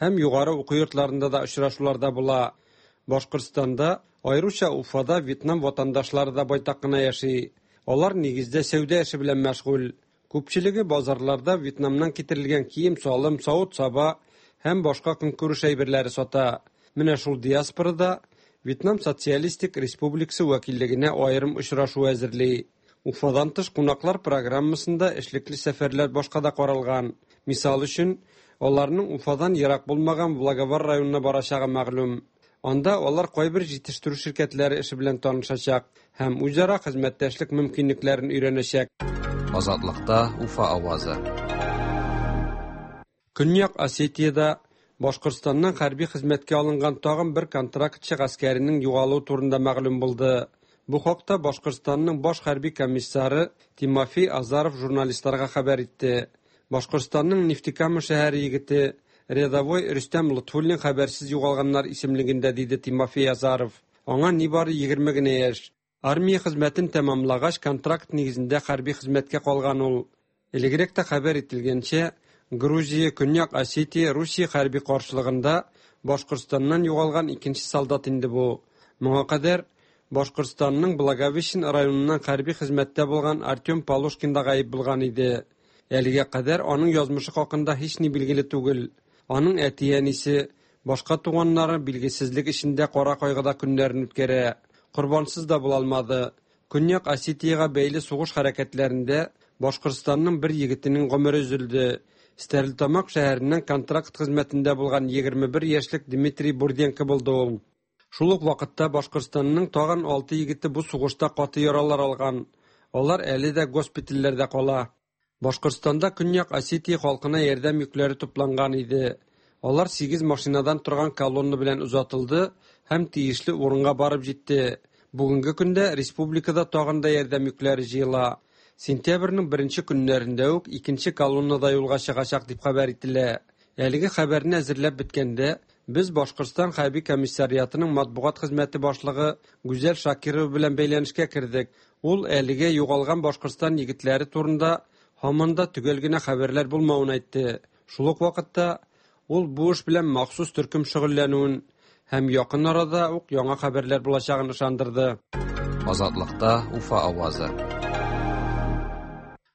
һәм югары уку йортларында да очрашуларда була. Башкортстанда, аеруча Уфада Вьетнам ватандашлары да байтак кына яши. Алар нигездә сәүдә эше белән мәшгуль. Күпчелеге базарларда Вьетнамнан китерелгән кием-салым, савыт-саба һәм башка көнкүреш әйберләре сата. Менә шул диаспорада Вьетнам Социалистик Республикасы вәкиллегенә аерым очрашу әзерли. Уфадан тыш кунаклар программасында эшлекле сәфәрләр башка да каралган. Мисал өчен, аларның Уфадан ерак булмаган Благовар районына барачагы мәгълүм. Анда алар кайбер җитештерү ширкәтләре эше белән танышачак һәм үзара хезмәттәшлек мөмкинлекләрен өйрәнәчәк. Азатлыкта Уфа авазы. Көньяк Осетиядә Башкортстаннан хәрби хезмәткә алынган тагын бер контрактчы гаскәренең югалуы турында мәгълүм булды. Бу хакта Башкортстанның баш хәрби комиссары Тимофей Азаров журналистларга хәбәр итте. Башкортстанның Нефтекама шәһәре егете рядовой Рөстәм Лотфуллин хәбәрсез югалганнар исемлегендә, диде Тимофей Азаров. Аңа нибары 20 генә яшь. Армия хезмәтен тәмамлагач, контракт нигезендә хәрби хезмәткә калган ул. Элегрәк тә хәбәр ителгәнчә, Грузия, Көньяк Осетия, Русия хәрби каршылыгында Башкортстаннан югалган икенче солдат инде бу. Моңа кадәр Башкортстанның Благовещен районыннан хәрби хезмәттә булган Артем Полушкин да гаип булган иде. Әлегә кадәр аның язмышы хакында һич ни билгеле түгел. Аның әти-әнисе, башка туганнары билгесезлек эчендә кара кайгыда көннәрен үткәрә. Корбансыз да була алмады. Көньяк Осетиягә бәйле сугыш хәрәкәтләрендә Башкортстанның бер егетенең гомере өзелде. Стәрлетамак шәһәреннән контракт хезмәтендә булган 21 яшьлек Дмитрий Бурденко булды ул. Шул ук вакытта Башкортстанның тагын 6 егете бу сугышта каты яралар алган. Алар әле дә госпитальләрдә кала. Башкортстанда Көньяк Осетия халкына ярдәм йөкләре тупланган иде. Алар 8 машинадан торган колонна белән озатылды һәм тиешле урынга барып җитте. Бүгенге көндә республикада тагын да ярдәм йөкләре җыела. Сентябрьнең беренче көннәрендә үк икенче колонна да юлга чыгачак дип хәбәр ителә. Әлеге хәбәрне әзерләп беткәндә, без Башкортстан хәрби комиссариатының матбугат хезмәте башлыгы Гүзәл Шакирова белән бәйләнешкә кердек. Ул әлегә югалган Башкортстан егетләре турында һаман да төгәл генә хәбәрләр булмавын әйтте. Шул ук вакытта ул бу эш белән махсус төркем шөгыльләнүен һәм якын арада ук яңа хәбәрләр булачагын ышандырды. Азатлыкта Уфа авазы.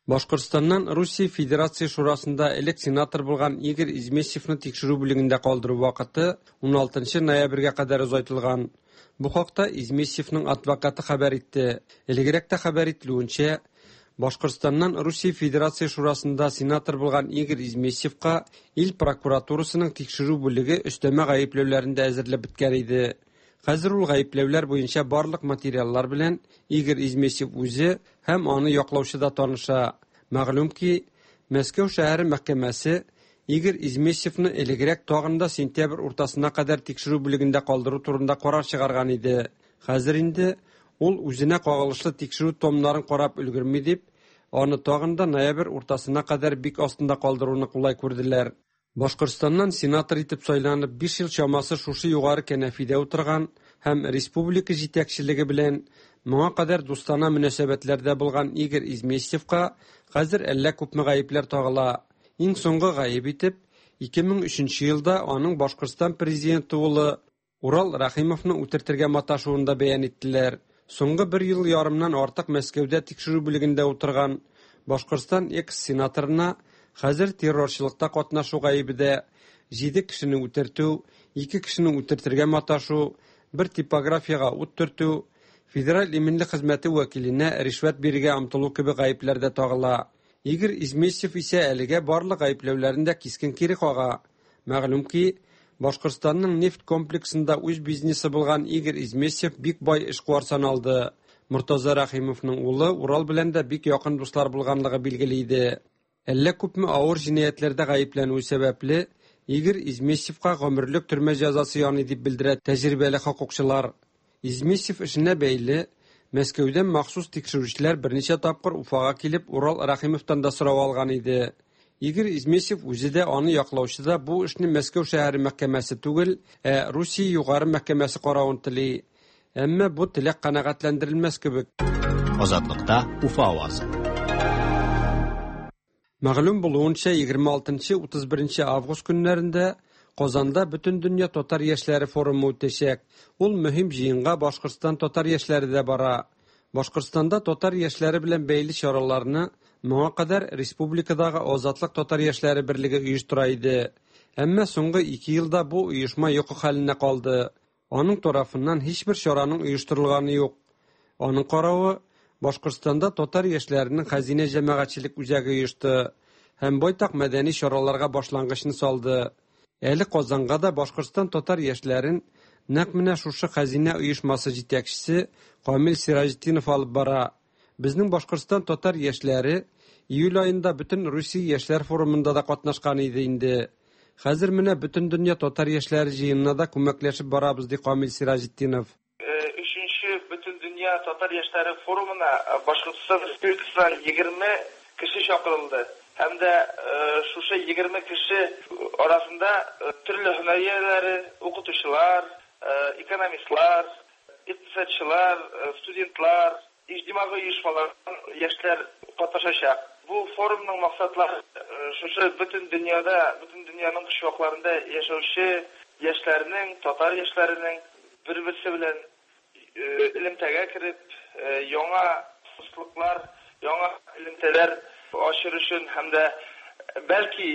Башкортстаннан Русия Федерация Шурасында элек сенатор булган Игорь Изместьевны тикшерү бүлегендә калдыру вакыты 16 ноябрьгә кадәр озайтылган. Бу хакта Изместьевның адвокаты хәбәр итте. Элегрәк тә хәбәр ителүенчә, Башкортстаннан Русия Федерация Шурасында сенатор булган Игорь Изместьевка ил прокуратурасының тикшерү бүлеге өстәмә гаепләүләрен дә әзерләп беткән иде. Хәзер ул гаепләүләр буенча барлык материаллар белән Игорь Изместьев үзе һәм аны яклаучы да таныша. Мәгълүм ки, Мәскәү шәһәре мәхкәмәсе Игорь Изместьевны элегрәк тагын да сентябрь уртасына кадәр тикшерү бүлегендә калдыру турында карар чыгарган иде. Хәзер инде ул үзенә кагылышлы тикшерү томнарын карап өлгерми дип, аны тагын да ноябрь уртасына кадәр бик астында калдыруны кулай күрделәр. Башкортстаннан сенатор итеп сайланып, 5 ел чамасы шушы югары кәнәфидә утырган һәм республика җитәкчелеге белән моңа кадәр дустана мөнәсәбәтләрдә булган Игорь Изместьевка хәзер әллә күпме гаепләр тагыла. Иң соңгы гаеп итеп, 2003 елда аның Башкортстан президенты улы Урал Рәхимовны үтертергә маташуын да бәян иттеләр. Соңгы бер ел ярымнан артык Мәскәүдә тикшерү бүлегендә утырган Башкортстан экс-сенаторына хәзер террорчылыкта катнашу гаебе дә, җиде кешене үтертү, ике кешене үтертергә маташу, бер типографиягә ут төртү, Федераль иминлек хезмәте вәкиленә ришвәт бирергә омтылу кебек гаепләр дә тагыла. Игорь Изместьев исә әлегә барлык гаепләүләрен дә кискен кире кага. Мәгълүм ки, Башкортстанның нефть комплексында үз бизнесы булган Игорь Изместьев бик бай эшкуар саналды. Мортаза Рәхимовның улы Урал белән дә бик якын дуслар булганлыгы билгеле иде. Әллә күпме авыр җинаятьләрдә гаепләнүе сәбәпле, Игорь Изместьевка гомерлек төрмә җәзасы яный дип белдерә тәҗрибәле хокукчылар. Изместьев эшенә бәйле Мәскәүдән махсус тикшерүчеләр берничә тапкыр Уфага килеп Урал Рәхимовтан да сорау алган иде. Игорь Изместьев үзе дә, аны яклаучы да бу эшне Мәскәү шәһәре мәхкәмәсе түгел, ә Русия югары мәхкәмәсе каравын тели. Әмма бу теләк канәгатьләндерелмәс кебек. Азатлыкта Уфа авазы. Мәгълүм булуынча, 26-31 август көннәрендә Казанда Бөтендөнья татар яшьләре форумы үтәчәк. Ул мөһим җыенга Башкортстан татар яшьләре дә бара. Башкортстанда татар яшьләре белән бәйле чараларны моңа кадәр республикадагы Азатлык татар яшьләре берлеге оештыра иде. Әмма соңгы ике елда бу оешма йокы хәленә калды. Аның тарафыннан һичбер чараның оештырылганы юк. Аның каравы, Башкортстанда татар яшьләренең Хәзинә җәмәгатьчелек үзәге оешты һәм байтак мәдәни чараларга башлангычны салды. Әле Казанга да Башкортстан татар яшьләрен нәкъ менә шушы Хәзинә оешмасы җитәкчесе Камил Сираҗетдинов алып бара. Безнең Башкортстан татар яшьләре июль аенда бөтен Русия яшьләр форумында да катнашкан иде инде. Хәзер менә Бөтендөнья татар яшьләре җыенына да күмәкләшеп барабыз, ди Камил Сираҗетдинов. Өченче Бөтендөнья татар яшьләре форумына Башкортстан Республикасыннан 20 кеше чакырылды. Һәм дә шушы 20 кеше арасында төрле һөнәр ияләре, укытучылар, экономистлар, икътисадчылар, студентлар, иҗтимагый оешмалардан яшьләр катнашачак. Бу форумның максатлары шушы бөтен дөньяда, бөтен дөньяның почмакларында яшәүче яшьләрнең, татар яшьләренең бер-берсе белән элемтәгә кереп, яңа дуслыклар, яңа элемтәләр ачыр өчен һәм дә бәлки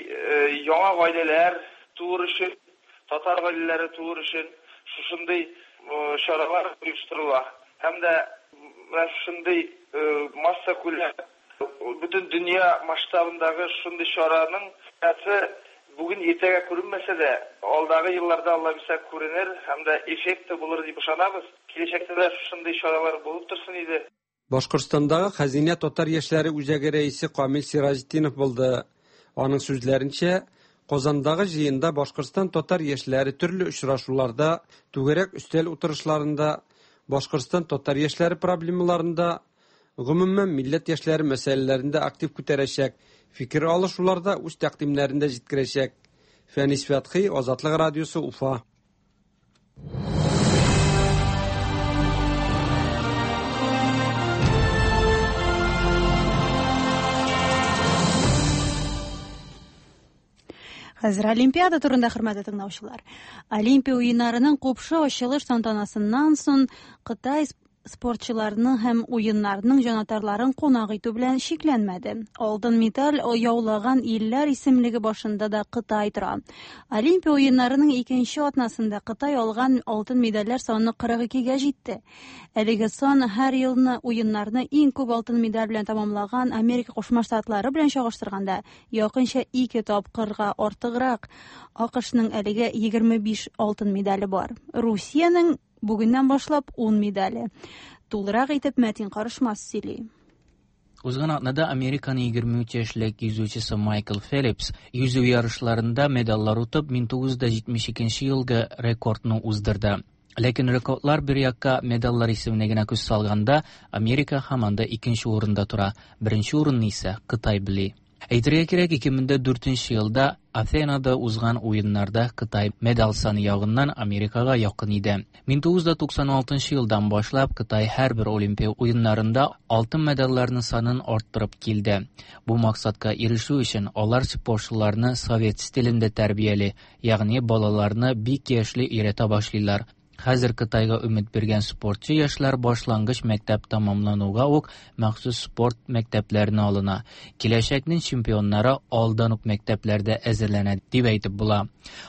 яңа гаиләләр туыр өчен, татар гаиләләре туыр өчен шушындый чаралар оештырыла. Һәм дә менә шушындый массакүләм, бөтен дөнья масштабындагы шушындый чараның файдасы бүген иртәгә күренмәсә дә, алдагы елларда Алла бирсә күренер һәм дә эффекты булыр дип ышанабыз. Киләчәктә дә шушындый чаралар булып торсын иде. Башкортстандагы Хәзинә татар яшьләре үзәге рәисе Камил Сираҗетдинов булды. Аның сүзләренчә, Казандагы җыенда Башкортстан татар яшьләре төрле очрашуларда, түгәрәк өстәл утырышларында Башкортстан татар яшьләре проблемаларын да, гомумән, милләт яшьләре мәсьәләләрен дә актив күтәрәчәк, фикер алышуларда үз тәкъдимнәрен дә җиткерәчәк. Фәнис Фәтхи, Азатлык радиосы, Уфа. Хәзер Олимпиада турында хөрмәтле тыңлаучылар. Олимпия уеннарының купшы ачылыш тантанасыннан соң Кытай спортчыларының һәм уеннарның җанатарларын кунак итү белән чикләнмәде. Алтын медаль яулаган илләр исемлеге башында да Кытай тора. Олимпия уеннарының икенче атнасында Кытай алган алтын медальләр саны 42-гә җитте. Әлеге сан һәр елны уеннарны иң күп алтын медаль белән тәмамлаган Америка Кушма Штатлары белән чагыштырганда якынча ике тапкырга артыграк. АКШның әлегә 25 алтын медале бар. Русиянең бүгеннән башлап 10 медале. Тулырак итеп Мәтин Карышмас сөйли. Узган атнада Американың 23 яшьлек йөзүчесе Майкл Фелипс йөзү ярышларында медальләр отып 1972 елгы рекордны уздырды. Ләкин рекордлар бер якка медальләр исеменә генә күз салганда, Америка һаман да икенче урында тора. Беренче урынны исә Кытай били. Әйтергә кирәк, 2004 елда Афенада узган уеннарда Кытай медаль саны ягыннан Америкага якын иде. 1996 елдан башлап Кытай һәрбер Олимпия уеннарында алтын медальләрнең санын арттырып килде. Бу максатка ирешү өчен алар спортчыларны совет стилендә тәрбияли, ягъни балаларны бик яшьли өйрәтә башлыйлар. Хәзер Кытайга өмет биргән спортчы яшьләр башлангыч мәктәп тәмамлануга ук махсус спорт мәктәпләренә алына. Киләчәкнең чемпионнары алдан ук мәктәпләрдә әзерләнә дип әйтеп була.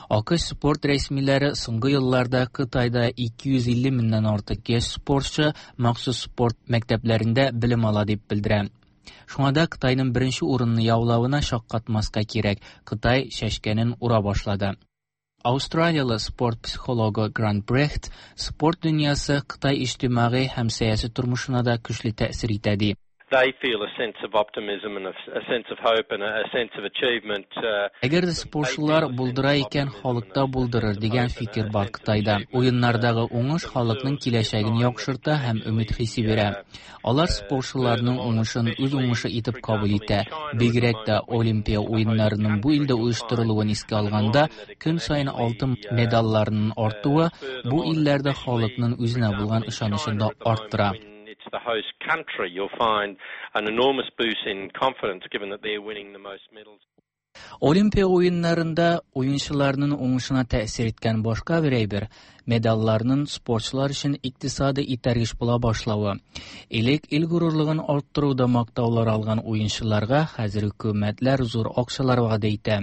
АКШ спорт рәсмиләре соңгы елларда Кытайда 250 меңнән артык яшь спортчы махсус спорт мәктәпләрендә белем ала дип белдерә. Шуңа да Кытайның беренче урынны яулавына шаккатмаска кирәк. Кытай чәчкәнен ура башлады. Австралиялы спорт психологы Грант Брехт спорт дөньясы Кытай иҗтимагый һәм сәяси тормышына да көчле тәэсир итә ди. They feel a sense of optimism and a sense of hope and a sense of achievement. Әгәр дә спортчылар булдыра икән, халык та булдырыр дигән фикер бар Кытайда. Уеннардагы уңыш халыкның киләчәген яхшырта һәм өмет хисе бирә. Алар спортчыларның уңышын үз уңышы итеп кабул итә. Бигрәк тә Олимпия уеннарының бу илдә оештырылуын искә алганда, көн саен алтын медальләрнең артуы бу илләрдә халыкның үзенә булган ышанычын да арттыра. It's the host country, you'll find an enormous boost in confidence given that they're winning the most medals. Олимпия уеннарында уенчыларның уңышына тәэсир иткән башка бер әйбер медальләрнең спортчылар өчен икътисади этәргеч була башлавы. Элек ил горурлыгын арттыруда мактаулар алган уенчыларга хәзер хөкүмәтләр зур акчалар вәгъдә итә.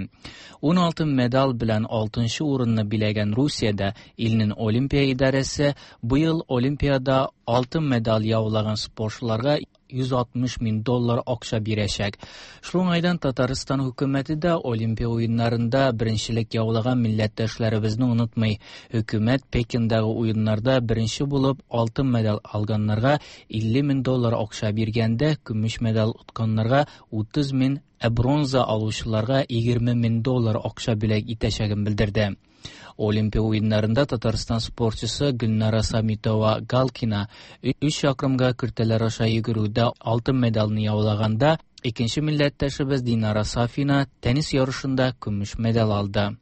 16 медаль белән 6 урынны биләгән Русиядә илнең Олимпия идарәсе быел Олимпиада алтын медаль яулаган спортчыларга 160 мең доллар акча бирәчәк. Шул уңайдан Татарстан хөкүмәте дә Олимпия уеннарында беренчелек яулаган милләттәшләребезне онытмый. Хөкүмәт Пекиндагы уеннарда беренче булып алтын медаль алганнарга 50 мең доллар акча биргәндә, көмеш медаль отканнарга 30 мең, ә бронза алучыларга 20 мең доллар акча бүләк итәчәген белдерде. Олимпия уеннарында Татарстан спортчысы Гөлнара Самитова Галкина 3 чакрымга киртәләр аша йөгерүдә алтын медальне яулаганда, икенче милләттәшебез Динара Сафина теннис ярышында көмеш медаль алды.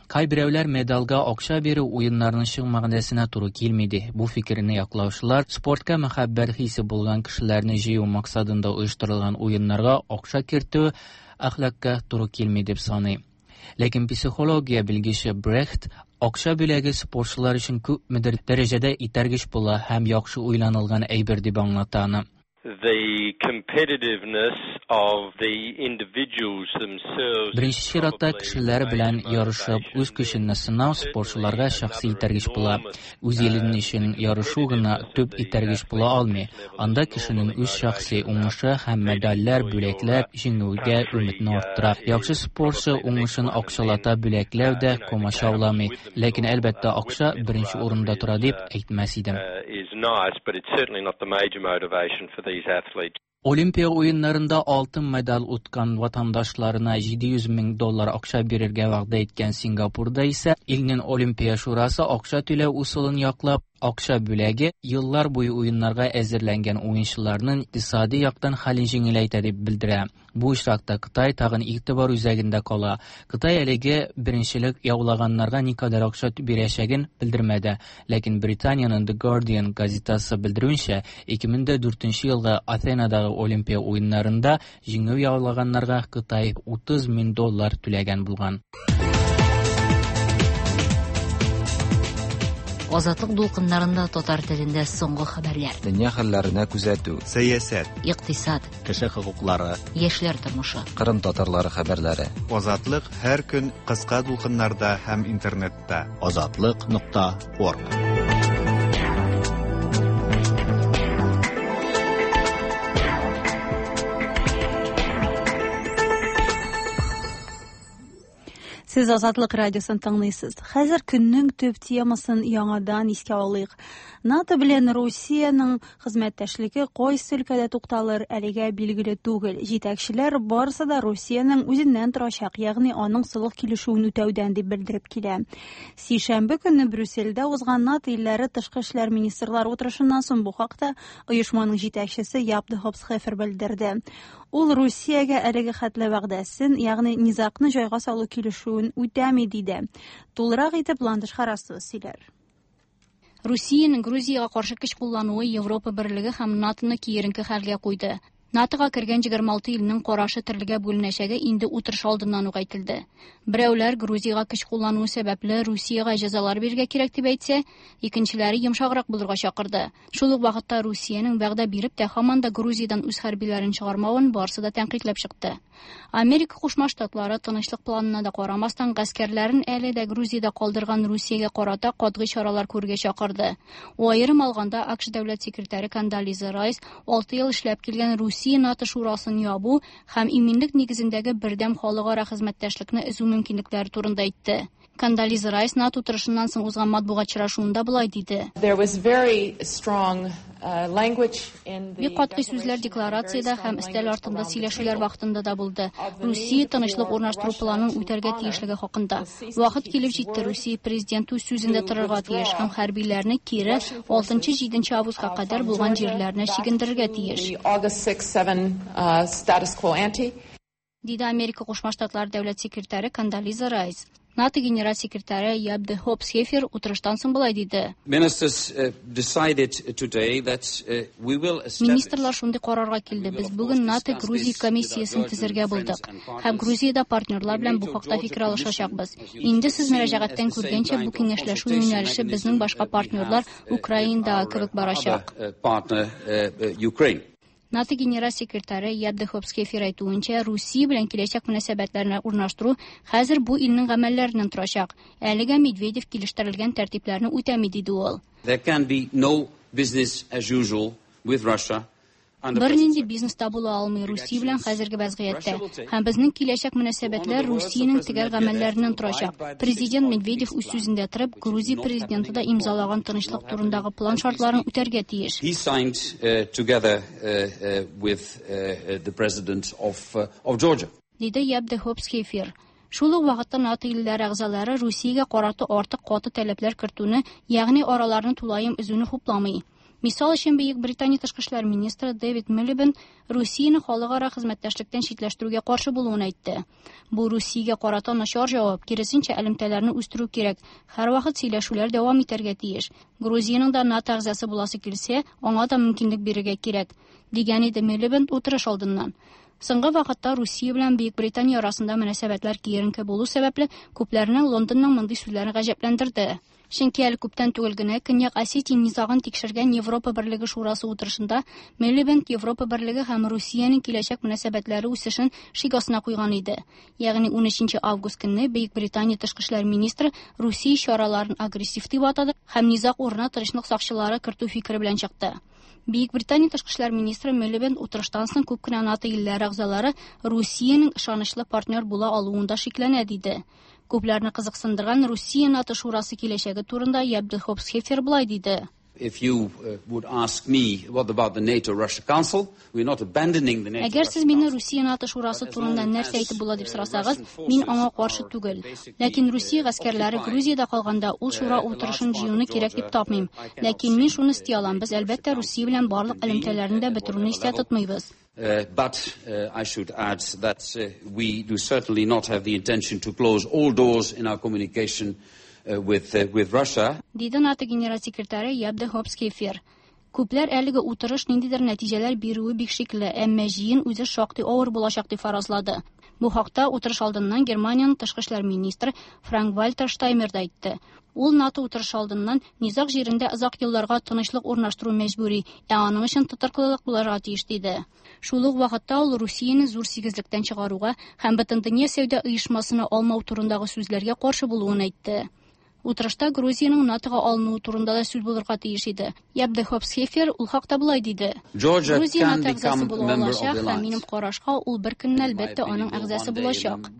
Кайберәүләр медальгә акча бирү уеннарның чын мәгънәсенә туры килми ди. Бу фикерне яклаучылар спортка мәхәббәт хисе булган кешеләрне җыю максатында оештырылган уеннарга акча кертү әхлакка туры килми дип саный. Ләкин психология белгече Брехт акча бүләге спортчылар өчен күпмедер дәрәҗәдә этәргеч була һәм яхшы уйланылган әйбер дип аңлата аны. The competitiveness of the individuals themselves. Беренче чиратта кешеләр белән ярышып, үз көчеңне сынау спортчыларга шәхси этәргеч була. Үз илең өчен ярышу гына төп этәргеч була алмый. Анда кешенең үз шәхси уңышы һәм медальләр, бүләкләр җиңүгә өметне арттыра. Яхшы спортчы уңышын акчалата бүләкләү дә комачауламый. Ләкин әлбәттә акча беренче урында тора дип әйтмәс идем. Is nice, but it's certainly not the major motivation for these athletes. Олимпия уеннарында алтын медаль откан ватандашларына 700 мең доллар акча бирергә вәгъдә иткән Сингапурда исә илнең Олимпия шурасы акча түләү усылын яклап, Акча бүләге еллар буе уеннарга әзерләнгән уенчыларның икътисади яктан хәлен җиңеләйтә дип белдерә. Бу очракта Кытай тагын игътибар үзәгендә кала. Кытай әлеге беренчелек яулаганнарга никадәр акча бирәчәген белдермәде. Ләкин Британиянең The Guardian газетасы белдерүенчә, 2004 елгы Атенадагы Олимпия уеннарында җиңү яулаганнарга Кытай 30 мең доллар түләгән булган. Азатлык дулкыннарында татар телендә соңгы хәбәрләр. Дөнья хәлләренә күзәтү. Сәясәт. Икътисад. Кеше хокуклары. Яшьләр тормышы. Кырым татарлары хәбәрләре. Азатлык һәр көн кыска дулкыннарда һәм интернетта. Азатлык.орг. Сез Азатлык радиосын тыңлыйсыз. Хәзер көннең төп темасын яңадан искә алыйк. НАТО белән Русиянең хезмәттәшлеге кайсы өлкәдә тукталыр, әлегә билгеле түгел. Җитәкчеләр барысы да Русиянең үзеннән торачак, ягъни аның солых килешүен үтәүдән дип белдереп килә. Сишәмбе көнне Брюссельдә узган НАТО илләре тышкы эшләр министрлары утырышыннан соң бу хакта оешманың җитәкчесе Яп де Хопсхефер белдерде. Ул Русиягә әлеге хәтле вәгъдәсен, ягъни низагны җайга салу килешүен үтәми диде. Тулырак итеп Ландыш Харасова сөйләр. Русиянең Грузиягә каршы көч куллануы Европа берлеге һәм НАТОны киеренке хәлгә куйды. НАТОга кергән 26 илнең карашы төрлегә бүленәчәге инде утырыш алдыннан ук әйтелде. Берәүләр Грузиягә көч куллануы сәбәпле Русиягә җәзалар бирергә кирәк дип әйтсә, икенчеләре йомшаграк булырга чакырды. Шул ук вакытта Русиянең вәгъдә биреп тә һаман да Грузиядән үз хәрбиләрен чыгармавын барысы да тәнкыйтьләп чыкты. Америка Кушма Штатлары тынычлык планына да карамастан гаскәрләрен әле дә Грузиядә калдырган Русиягә карата катгый чаралар күрергә чакырды. Аерым алганда АКШ дәүләт секретаре Кондолиза Райс 6 ел эшләп килгән Русия НАТО шурасын ябу һәм иминлек нигезендәге бердәм халыкара хезмәттәшлекне өзү мөмкинлекләре турында әйтте. Кондолиза Райс НАТО утырышыннан соң узган матбугат очрашуында болай диде. Бик катгый сүзләр декларациядә һәм өстәл артында сөйләшүләр вакытында да булды. Русия тынычлык урнаштыру планын үтәргә тиешлеге хакында. Вакыт килеп җитте, Русия президенты үз сүзендә торырга тиеш һәм хәрбиләрне кире 6-7 августка кадәр булган җирләренә чигендерергә тиеш. Диде Америка Кушма Штатлары дәүләт секретаре Кондолиза Райс. НАТО генераль секретаре Яп де Хопсхефер утырыштан соң болай диде. Министрлар шундый карарга килде. Без бүген НАТО Грузия комиссиясен төзергә булдык. Һәм Грузиядә партнерлар белән бу хакта фикер алышачакбыз. Инде сез мөрәҗәгатьтән күргәнчә, бу киңәшләшү юнәлеше безнең башка партнерлар Украинадагы кебек барачак. НАТО генераль секретаре Яп де Хопсхефер әйтүенчә, Русия белән киләчәк мөнәсәбәтләрне урнаштыру хәзер бу илнең гамәлләреннән торачак. Әлегә Медведев килештерелгән тәртипләрне үтәми, диде ул. There can be no business as usual with Russia. Бернинди бизнес та була алмый Русия белән хәзерге вазгыятьтә. Һәм безнең киләчәк мөнәсәбәтләр Русиянең төгәл гамәлләреннән торачак. Президент Медведев үз сүзендә торып, Грузия президенты да имзалаган тынычлык турындагы план шартларын үтәргә тиеш. He signed together with the president of Georgia. Диде Яп де Хопсхефер. Шул ук вакытта НАТО илләре әгъзалары Русиягә карата артык каты таләпләр кертүне, ягъни араларны тулаем өзүне хупламый. Мисал өчен, Бөек Британия тышкы эшләр министры Дэвид Милибенд Русияне халыкара хезмәттәшлектән читләштерүгә каршы булуын әйтте. Бу Русиягә карата начар җавап, киресенчә элемтәләрне үстерү кирәк. Һәрвакыт сөйләшүләр дәвам итәргә тиеш. Грузиянең дә НАТО әгъзасы буласы килсә, аңа да мөмкинлек бирергә кирәк, дигән иде Милибенд утырыш алдыннан. Соңгы вакытта Русия белән Бөек Британия арасында мөнәсәбәтләр киеренке булу сәбәпле, күпләрнең Лондонның мондый сүзләрен гаҗәпләндерде. Чөнки әле күптән түгел генә Көньяк Осетия низагын тикшергән Европа Берлеге Шурасы утырышында Милибенд Европа Берлеге һәм Русиянең киләчәк мөнәсәбәтләре үсешен шик астына куйган иде. Ягъни 13 август көнне Бөек Британия тышкы эшләр министры Русия чараларын агрессив дип атады һәм низаг урынына тынычлык сакчылары кертү фикере белән чыкты. Бөек Британия тышкы эшләр министры Милибенд утырыштан соң күп кенә НАТО илләре әгъзалары Русиянең ышанычлы партнер була алуында шикләнә диде. Күпләрне кызыксындырган Русия НАТО шурасы киләчәге турында Яп де Хопсхефер болай диде. If you would ask me what about the NATO-Russia Council, we're not abandoning the NATO. Әгәр сез мине Русия-НАТО шурасы турында нәрсә әйтеп була дип сорасагыз, мин аңа каршы түгел. Ләкин Русия гаскәрләре Грузиядә калганда ул шура утырышын җыюны кирәк дип тапмыйм. Ләкин мин шуны өсти алам, без әлбәттә Русия белән барлык элемтәләрне дә бетерүне истә тотмыйбыз. But I should add that we do certainly not have the intention to close all doors in our communication with Russia. Диде НАТО генераль секретаре Яп де Хоп Схефер. Күпләр әлеге утырыш ниндидер нәтиҗәләр бирүе бик шикле, әмма җыен үзе шактый авыр булачак дип фаразлады. Бу хакта утырыш алдыннан Германиянең тышкы эшләр министры Франк-Вальтер Штаймер да әйтте. Ул НАТО утырышы алдыннан низаг җирендә озак елларга тынычлык урнаштыру мәҗбүри, ә аның өчен тотрыклылык булырга тиеш диде. Шул ук вакытта ул Русияне зур сигезлектән чыгаруга һәм Бөтендөнья сәүдә оешмасына алмау турындагы сүзләргә каршы булуын әйтте. Утырышта Грузиянең НАТОга алынуы турында да сүз булырга тиеш иде. Яп де Хоп Схефер ул хакта болай диде. Грузия НАТО әгъзасы була алачак һәм минем карашка ул бер көнне әлбәттә аның әгъзасы булачак.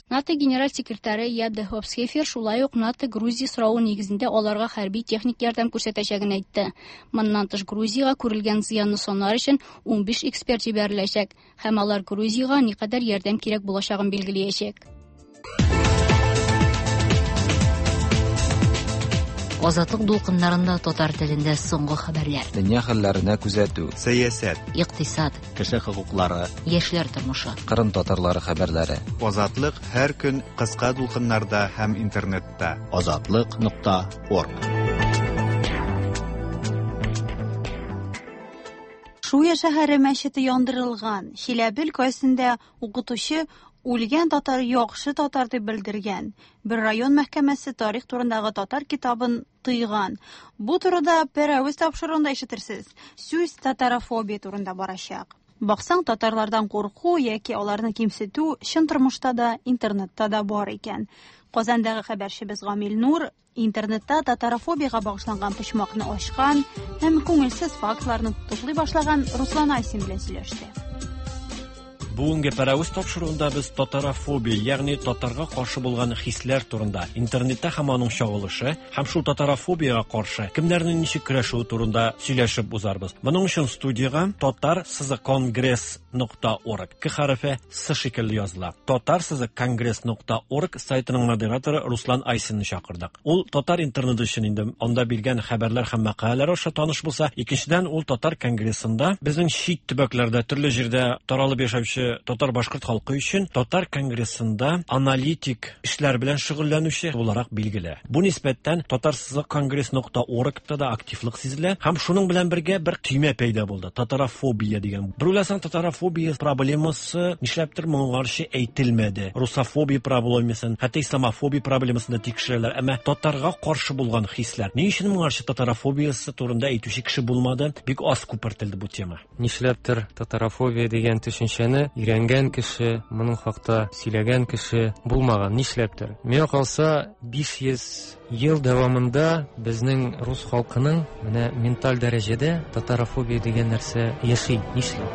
НАТО генераль секретаре Яп де Хоп Схефер шулай ук НАТО Грузия соравы нигезендә аларга хәрби техник ярдәм күрсәтәчәген әйтте. Моннан тыш Грузиягә күрелгән зыянны санар өчен 15 эксперт җибәреләчәк һәм алар Грузиягә никадәр ярдәм кирәк булачагын билгеләячәк. Азатлык дулкыннарында татар телендә соңгы хәбәрләр. Дөнья хәлләренә күзәтү. Сәясәт. Икътисад. Кеше хокуклары. Яшьләр тормышы. Кырым татарлары хәбәрләре. Азатлык һәр көн кыска дулкыннарда һәм интернетта. Азатлык.орг. Шуя шәһәре мәчете яндырылган. Чиләбе өлкәсендә укытучы үлгән татар яхшы татар дип белдергән. Бер район мәхкәмәсе тарих турындагы татар китабын тыйган. Бу турыда Пәрәвез тапшыруында ишетерсез. Сүз татарофобия турында барачак. Баксаң, татарлардан курку яки аларны кимсетү чын тормышта да, интернетта да бар икән. Казандагы хәбәрчебез Гамил Нур интернетта татарофобиягә багышланган почмакны ачкан һәм күңелсез фактларны туплый башлаган Руслан Айсин белән сөйләште. Бүгенге Пәрәвез тапшыруында без татарофобия, ягъни татарга каршы булган хисләр турында, интернетта һәм аның чагылышы һәм шул татарофобиягә каршы кемнәрнең ничек көрәшүе турында сөйләшеп узарбыз. Моның өчен студиягә tatar-kongress.org К хәрефе С шикелле языла. Tatar-kongress.org сайтының модераторы Руслан Айсинны чакырдык. Ул татар интернеты өчен инде анда биргән хәбәрләр һәм мәкаләләр аша таныш булса, икенчедән ул татар конгрессында безнең чит төбәкләрдә төрле җирдә таралып яшәүче татар-башкорт халкы өчен татар конгрессында аналитик эшләр белән шөгыльләнүче буларак билгеле. Бу нисбәттән tatar-kongress.org-та да активлык сизелә һәм шуның белән бергә бер төймә пәйда булды. Татарофобия дигән. Бер уйласаң, татарофобия проблемасы нишләптер моңарчы әйтелмәде. Русофобия проблемасын, хәтта исламофобия проблемасын да тикшерәләр, әмма татарга каршы булган хисләр. Ни өчен моңарчы татарофобиясе турында әйтүче кеше булмады? Бик аз күпертелде бу тема. Нишләптер татарофобия дигән төшенчәне өйрәнгән кеше, моның хакта сөйләгән кеше булмаган. Нишләптер? Миңа калса, 500 ел дәвамында безнең рус халкының менә менталь дәрәҗәдә татарофобия дигән нәрсә яши. Нишләп?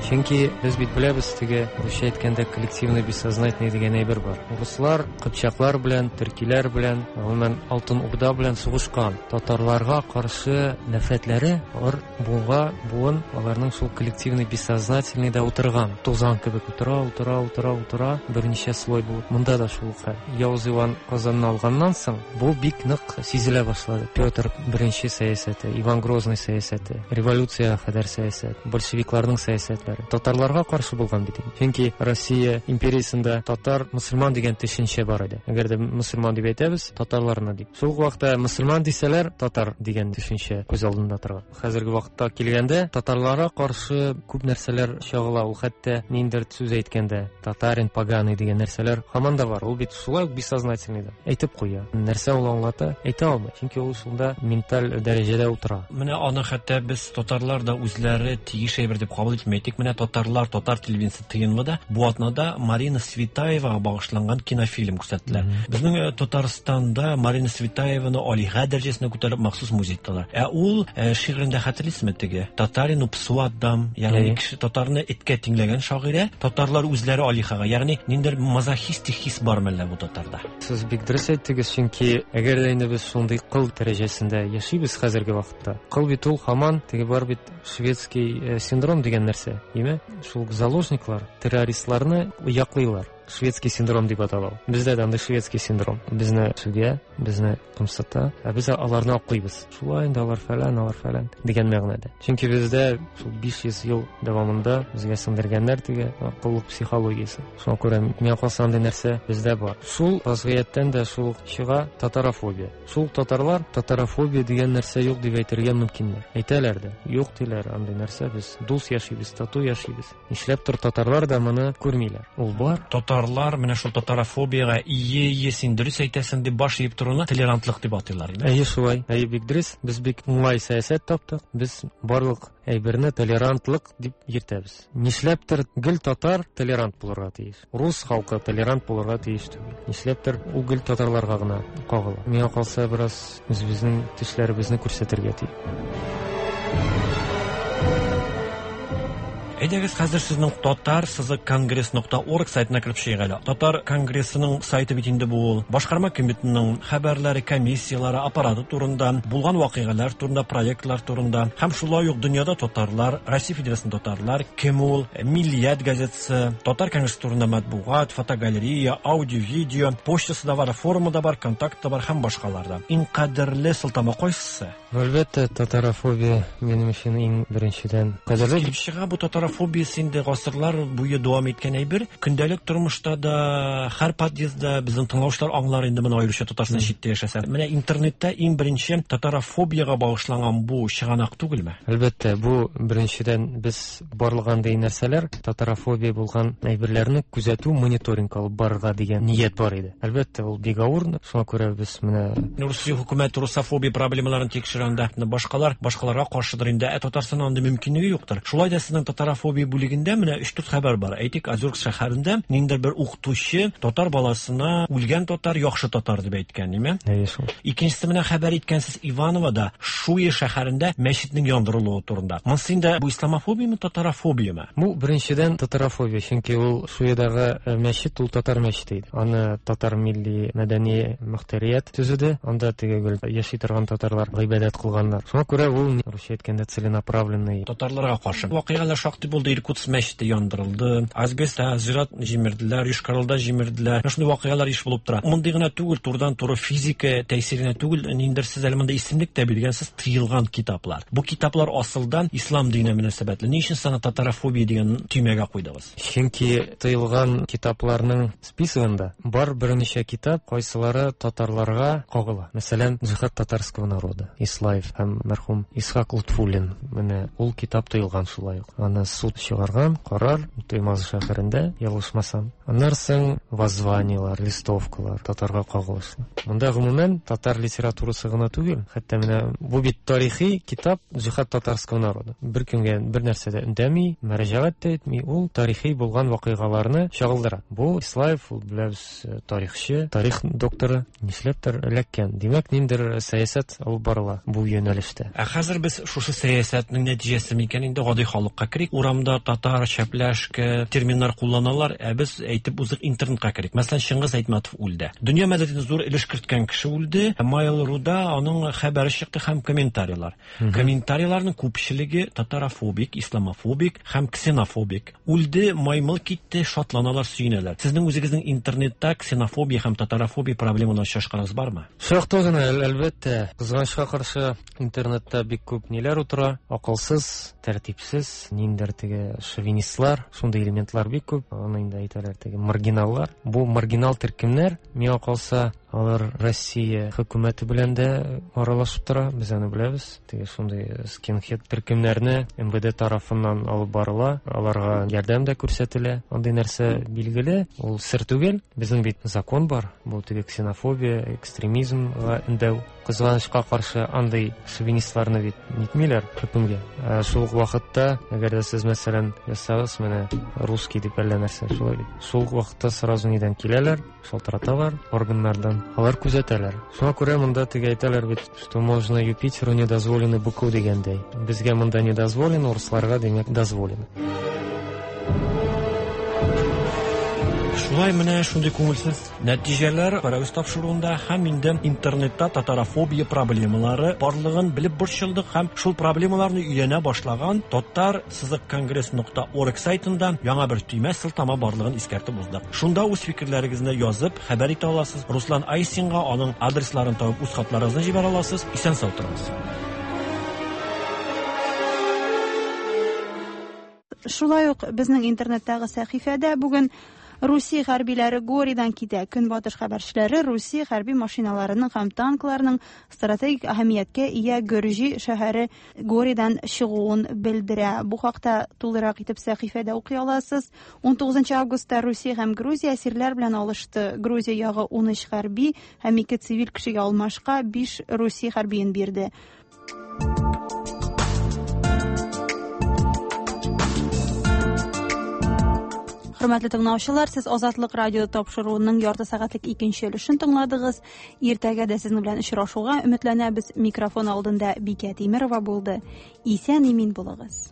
Чөнки без бит беләбез, теге русча әйткәндә коллективный бессознательный дигән әйбер бар. Руслар кыпчаклар белән, төркиләр белән, гомумән Алтын Урда белән сугышкан. Татарларга каршы нәфрәтләре алар буынга буын аларның шул коллективный бессознательный да утырган. Тузан кебек утыра, утыра, утыра, утыра, берничә слой булып. Монда да шул хәл. Явыз Иван Казанны алганнан соң бу бик нык сизелә башлады. Петр I сәясәте, Иван Грозный сәясәте, революциягә кадәр сәясәт, большевикларның сәясәтләре татарларга каршы булган бит. Чөнки Россия империясендә татар мөселман дигән төшенчә бар иде. Әгәр дә мөселман дип әйтәбез, татарларны дип. Шул ук вакытта мөселман дисәләр, татар дигән төшенчә күз алдында тора. Хәзерге вакытта килгәндә татарларга каршы күп нәрсәләр чагыла. Ул хәтта ниндидер сүз әйткәндә татарин поганый дигән нәрсәләр һаман да бар. Ул бит шулай ук бессознательный да. Әйтеп куя. Нәрсә ул аңлата, әйтә алмый. Чөнки ул шунда менталь дәрәҗәдә утыра. Менә аны хәтта без татарлар да үзләре тиеш әйбер дип кабул итми. Тик менә татарлар, татар телевидениесе ТНВда бу атнада Марина Цветаевага багышланган кинофильм күрсәттеләр. Безнең Татарстанда Марина Цветаеваны алиһә дәрәҗәсенә күтәреп махсус музей тоттылар. Ә ул шигырендә хәтерлисезме теге? Татарину псу отдам, ягъни кеше татарны эткә тиңләгән шагыйрә, татарлар үзләре алиһәгә, ягъни ниндидер мазохистик хис бар мәллә бу татарда? Сез бик дөрес әйттегез, чөнки әгәр дә инде без шундый кыл дәрәҗәсендә яшибез хәзерге вакытта. Кыл бит ул һаман теге бар бит шведский синдром дигән нәрсә, име? Шул заложниклар террористларны яклыйлар. Шведский синдром дип атала ул. Бездә дә андый шведский синдром. Безне сүгә, безне кымсыта, ә без аларны аклыйбыз. Шулай инде алар фәлән, алар фәлән дигән мәгънәдә. Чөнки бездә шул 500 ел дәвамында безгә сеңдергәннәр теге коллык психологиясе. Шуңа күрә миңа калса андый нәрсә бездә бар. Шул вазгыятьтән дә шул чыга татарофобия. Шул татарлар татарофобия дигән нәрсә юк дип әйтергә мөмкиннәр. Әйтәләр дә, юк диләр андый нәрсә, без дус яшибез, тату яшибез. Нишләптер татарлар да моны күрмиләр. Ул бар. Татарлар менә шул татарофобиягә ие, ие, син дөрес әйтәсең дип баш иеп торуны толерантлык дип атыйлар. Әйе, шулай. Әйе, бик дөрес. Без бик уңай сәясәт таптык. Без барлык әйберне толерантлык дип йөртәбез. Нишләптер гел татар толерант булырга тиеш. Рус халкы толерант булырга тиеш түгел. Нишләптер ул гел татарларга гына кагыла. Миңа калса, бераз үзебезнең тешләребезне күрсәтергә тиеш. Әйдәгез, хәзер сезнең татар сызык конгресс нокта орг сайтына кереп чыгыйк әле. Татар конгрессының сайты бит инде бу ул. Башкарма комитетының хәбәрләре, комиссияләре, аппараты турында, булган вакыйгалар турында, проектлар турында һәм шулай ук дөньяда татарлар, Россия Федерациясендә татарлар, кем ул, Миллият газетасы, Татар конгрессы турында матбугат, фотогалерея, аудио, видео, почтасы да бар, форумы да бар, контакты да бар һәм башкалар да. Иң кадерле сылтама кайсысы? Әлбәттә, татарофобия минем өчен иң беренчедән кадерле. Килеп чыга бу татарофобиясе инде гасырлар буе дәвам иткән әйбер. Көндәлек тормышта да, һәр подъездда безнең тыңлаучылар аңлар инде моны, аеруча Татарстан читтә яшәсә. Менә интернетта иң беренче татарофобиягә багышланган бу чыганак түгелме? Әлбәттә, бу беренчедән без барлык андый нәрсәләр, татарофобия булган әйберләрне күзәтү, мониторинг алып барырга дигән ният бар иде. Әлбәттә, ул бик авыр, шуңа күрә без менә Русия хөкүмәте русофобия проблемаларын тикшерә анда, башкалар башкаларга каршыдыр инде, ә Татарстанның андый мөмкинлеге юктыр. Шулай да сезнең татарофобия бүлегендә менә өч-дүрт хәбәр бар. Әйтик, Озерск шәһәрендә ниндидер бер укытучы татар баласына үлгән татар яхшы татар дип әйткән, ниме? Әйе, шул. Икенчесе менә хәбәр иткәнсез Ивановода, Шуя шәһәрендә мәчетнең яндырылуы турында. Монысы инде бу исламофобияме, татарофобияме? Бу беренчедән татарофобия, чөнки ул Шуядагы мәчет ул татар мәчете иде. Аны татар милли мәдәни мөхтәрият төзеде. Анда теге гел яши торган татарлар гыйбадәт кылганнар. Шуңа күрә ул, русча әйткәндә, целенаправленный. Татарларга каршы вакыйгалар шактый булды. Иркутск мәчете яндырылды, Асбестта зират җимерделәр, Йошкар-Олада җимерделәр. Менә шундый вакыйгалар еш булып тора. Мондый гына түгел, турыдан-туры физика тәэсиренә түгел, ниндидер сез әле монда исемлек тә биргәнсез, тыелган китаплар. Бу китаплар асылдан ислам диненә мөнәсәбәтле. Ни өчен сез аны татарофобия дигән төймәгә куйдыгыз? Чөнки тыелган китапларның списогында бар берничә китап, кайсылары татарларга кагыла. Мәсәлән, Джихад татарского народа, Ислаев һәм мәрхүм Исхак Лутфуллин. Менә ул китап тыелган шулай ук. Аны суд чыгарган, карар Туймазы шәһәрендә, ялгышмасам. Аннан соң воззваниелар, листовкалар татарга кагылышлы. Монда гомумән татар литературасы гына түгел, хәтта менә бу бит тарихи китап Джихад татарского народа. Бер кемгә бер нәрсә дә өндәми, мөрәҗәгать тә итми, ул тарихи булган вакыйгаларны чагылдыра. Бу Ислаев, ул беләбез, тарихчы, тарих докторы, нишләптер эләккән. Димәк, ниндидер сәясәт алып барыла бу юнәлештә. Ә хәзер без шушы сәясәтнең нәтиҗәсе микән инде гади халыкка керик. Урамда татар, чәпләшке терминнар кулланалар, ә без әйтеп узык интернетка керик. Мәсәлән, Чыңгыз Айтматов үлде. Дөнья мәдәниятенә зур өлеш керткән кеше үлде. Mail.ru'да аның хәбәре чыкты һәм комментарийлар. Комментарийларның күпчелеге татарофобик, исламофобик һәм ксенофобик. Үлде, маймыл китте, шатланалар, сөенәләр. Сезнең үзегезнең интернетта ксенофобия һәм татарофобия проблемаларын очрашканыгыз бармы? Шактый гына, әлбәттә. Кызганычка каршы, интернетта бик күп ниләр утыра. Акылсыз, тәртипсез, ниндидер теге шовинистлар, шундый элементлар бик күп. Аны инде әйтәләр теге маргиналлар. Бу маргинал төркемнәр, миңа калса, Алар Россия хөкүмәте белән дә аралашып тора, без аны беләбез. Теге шундый скинхед төркемнәрне МВД тарафыннан алып барыла, аларга ярдәм дә күрсәтелә. Андый нәрсә билгеле, ул сер түгел. Безнең бит закон бар, бу теге ксенофобия, экстремизмга өндәү. Кызганычка каршы, андый шовинистларны бит нитмиләр хөкемгә. Ә шул ук вакытта, әгәр дә сез, мәсәлән, язсагыз, менә русский дип әллә нәрсә, шулай бит. Шул ук вакытта сразу нидән киләләр, шалтыраталар органнардан, алар күзәтәләр. Шуңа күрә монда теге әйтәләр бит, что можно Юпитеру не дозволено быку дигәндәй. Безгә монда не дозволено, урысларга, димәк, дозволено. Шулай менә шундый күңелсез нәтиҗәләр Пәрәвез тапшыруында һәм инде интернетта татарофобия проблемалары барлыгын белеп борчылдык һәм шул проблемаларны өйрәнә башлаган татар сызык конгресс нокта орг сайтында яңа бер төймә сылтама барлыгын искәртеп уздык. Шунда үз фикерләрегезне язып, хәбәр итә аласыз. Руслан Айсинга аның адресларын табып үз хатларыгызны җибәрә аласыз. Исән-сау торыгыз. Шулай ук безнең интернеттагы сәхифәдә бүген Русия хәрбиләре Горидан китә. Көнбатыш хәбәрчеләре Русия хәрби машиналарының һәм танкларының стратегик әһәмияткә ия Гөрҗи шәһәре Горидан чыгуын белдерә. Бу хакта тулырак итеп сәхифәдә укый аласыз. 19 августта Русия һәм Грузия әсирләр белән алышты. Грузия ягы 13 хәрби һәм 2 цивиль кешегә алмашка 5 Русия хәрбиен бирде. Хөрмәтле тыңлаучылар, сез Азатлык радио тапшыруының ярты сәгатьлек икенче өлешен тыңладыгыз. Иртәгә дә сезнең белән очрашуга өметләнәбез. Микрофон алдында Бикә Тимерова булды. Исән имин булыгыз.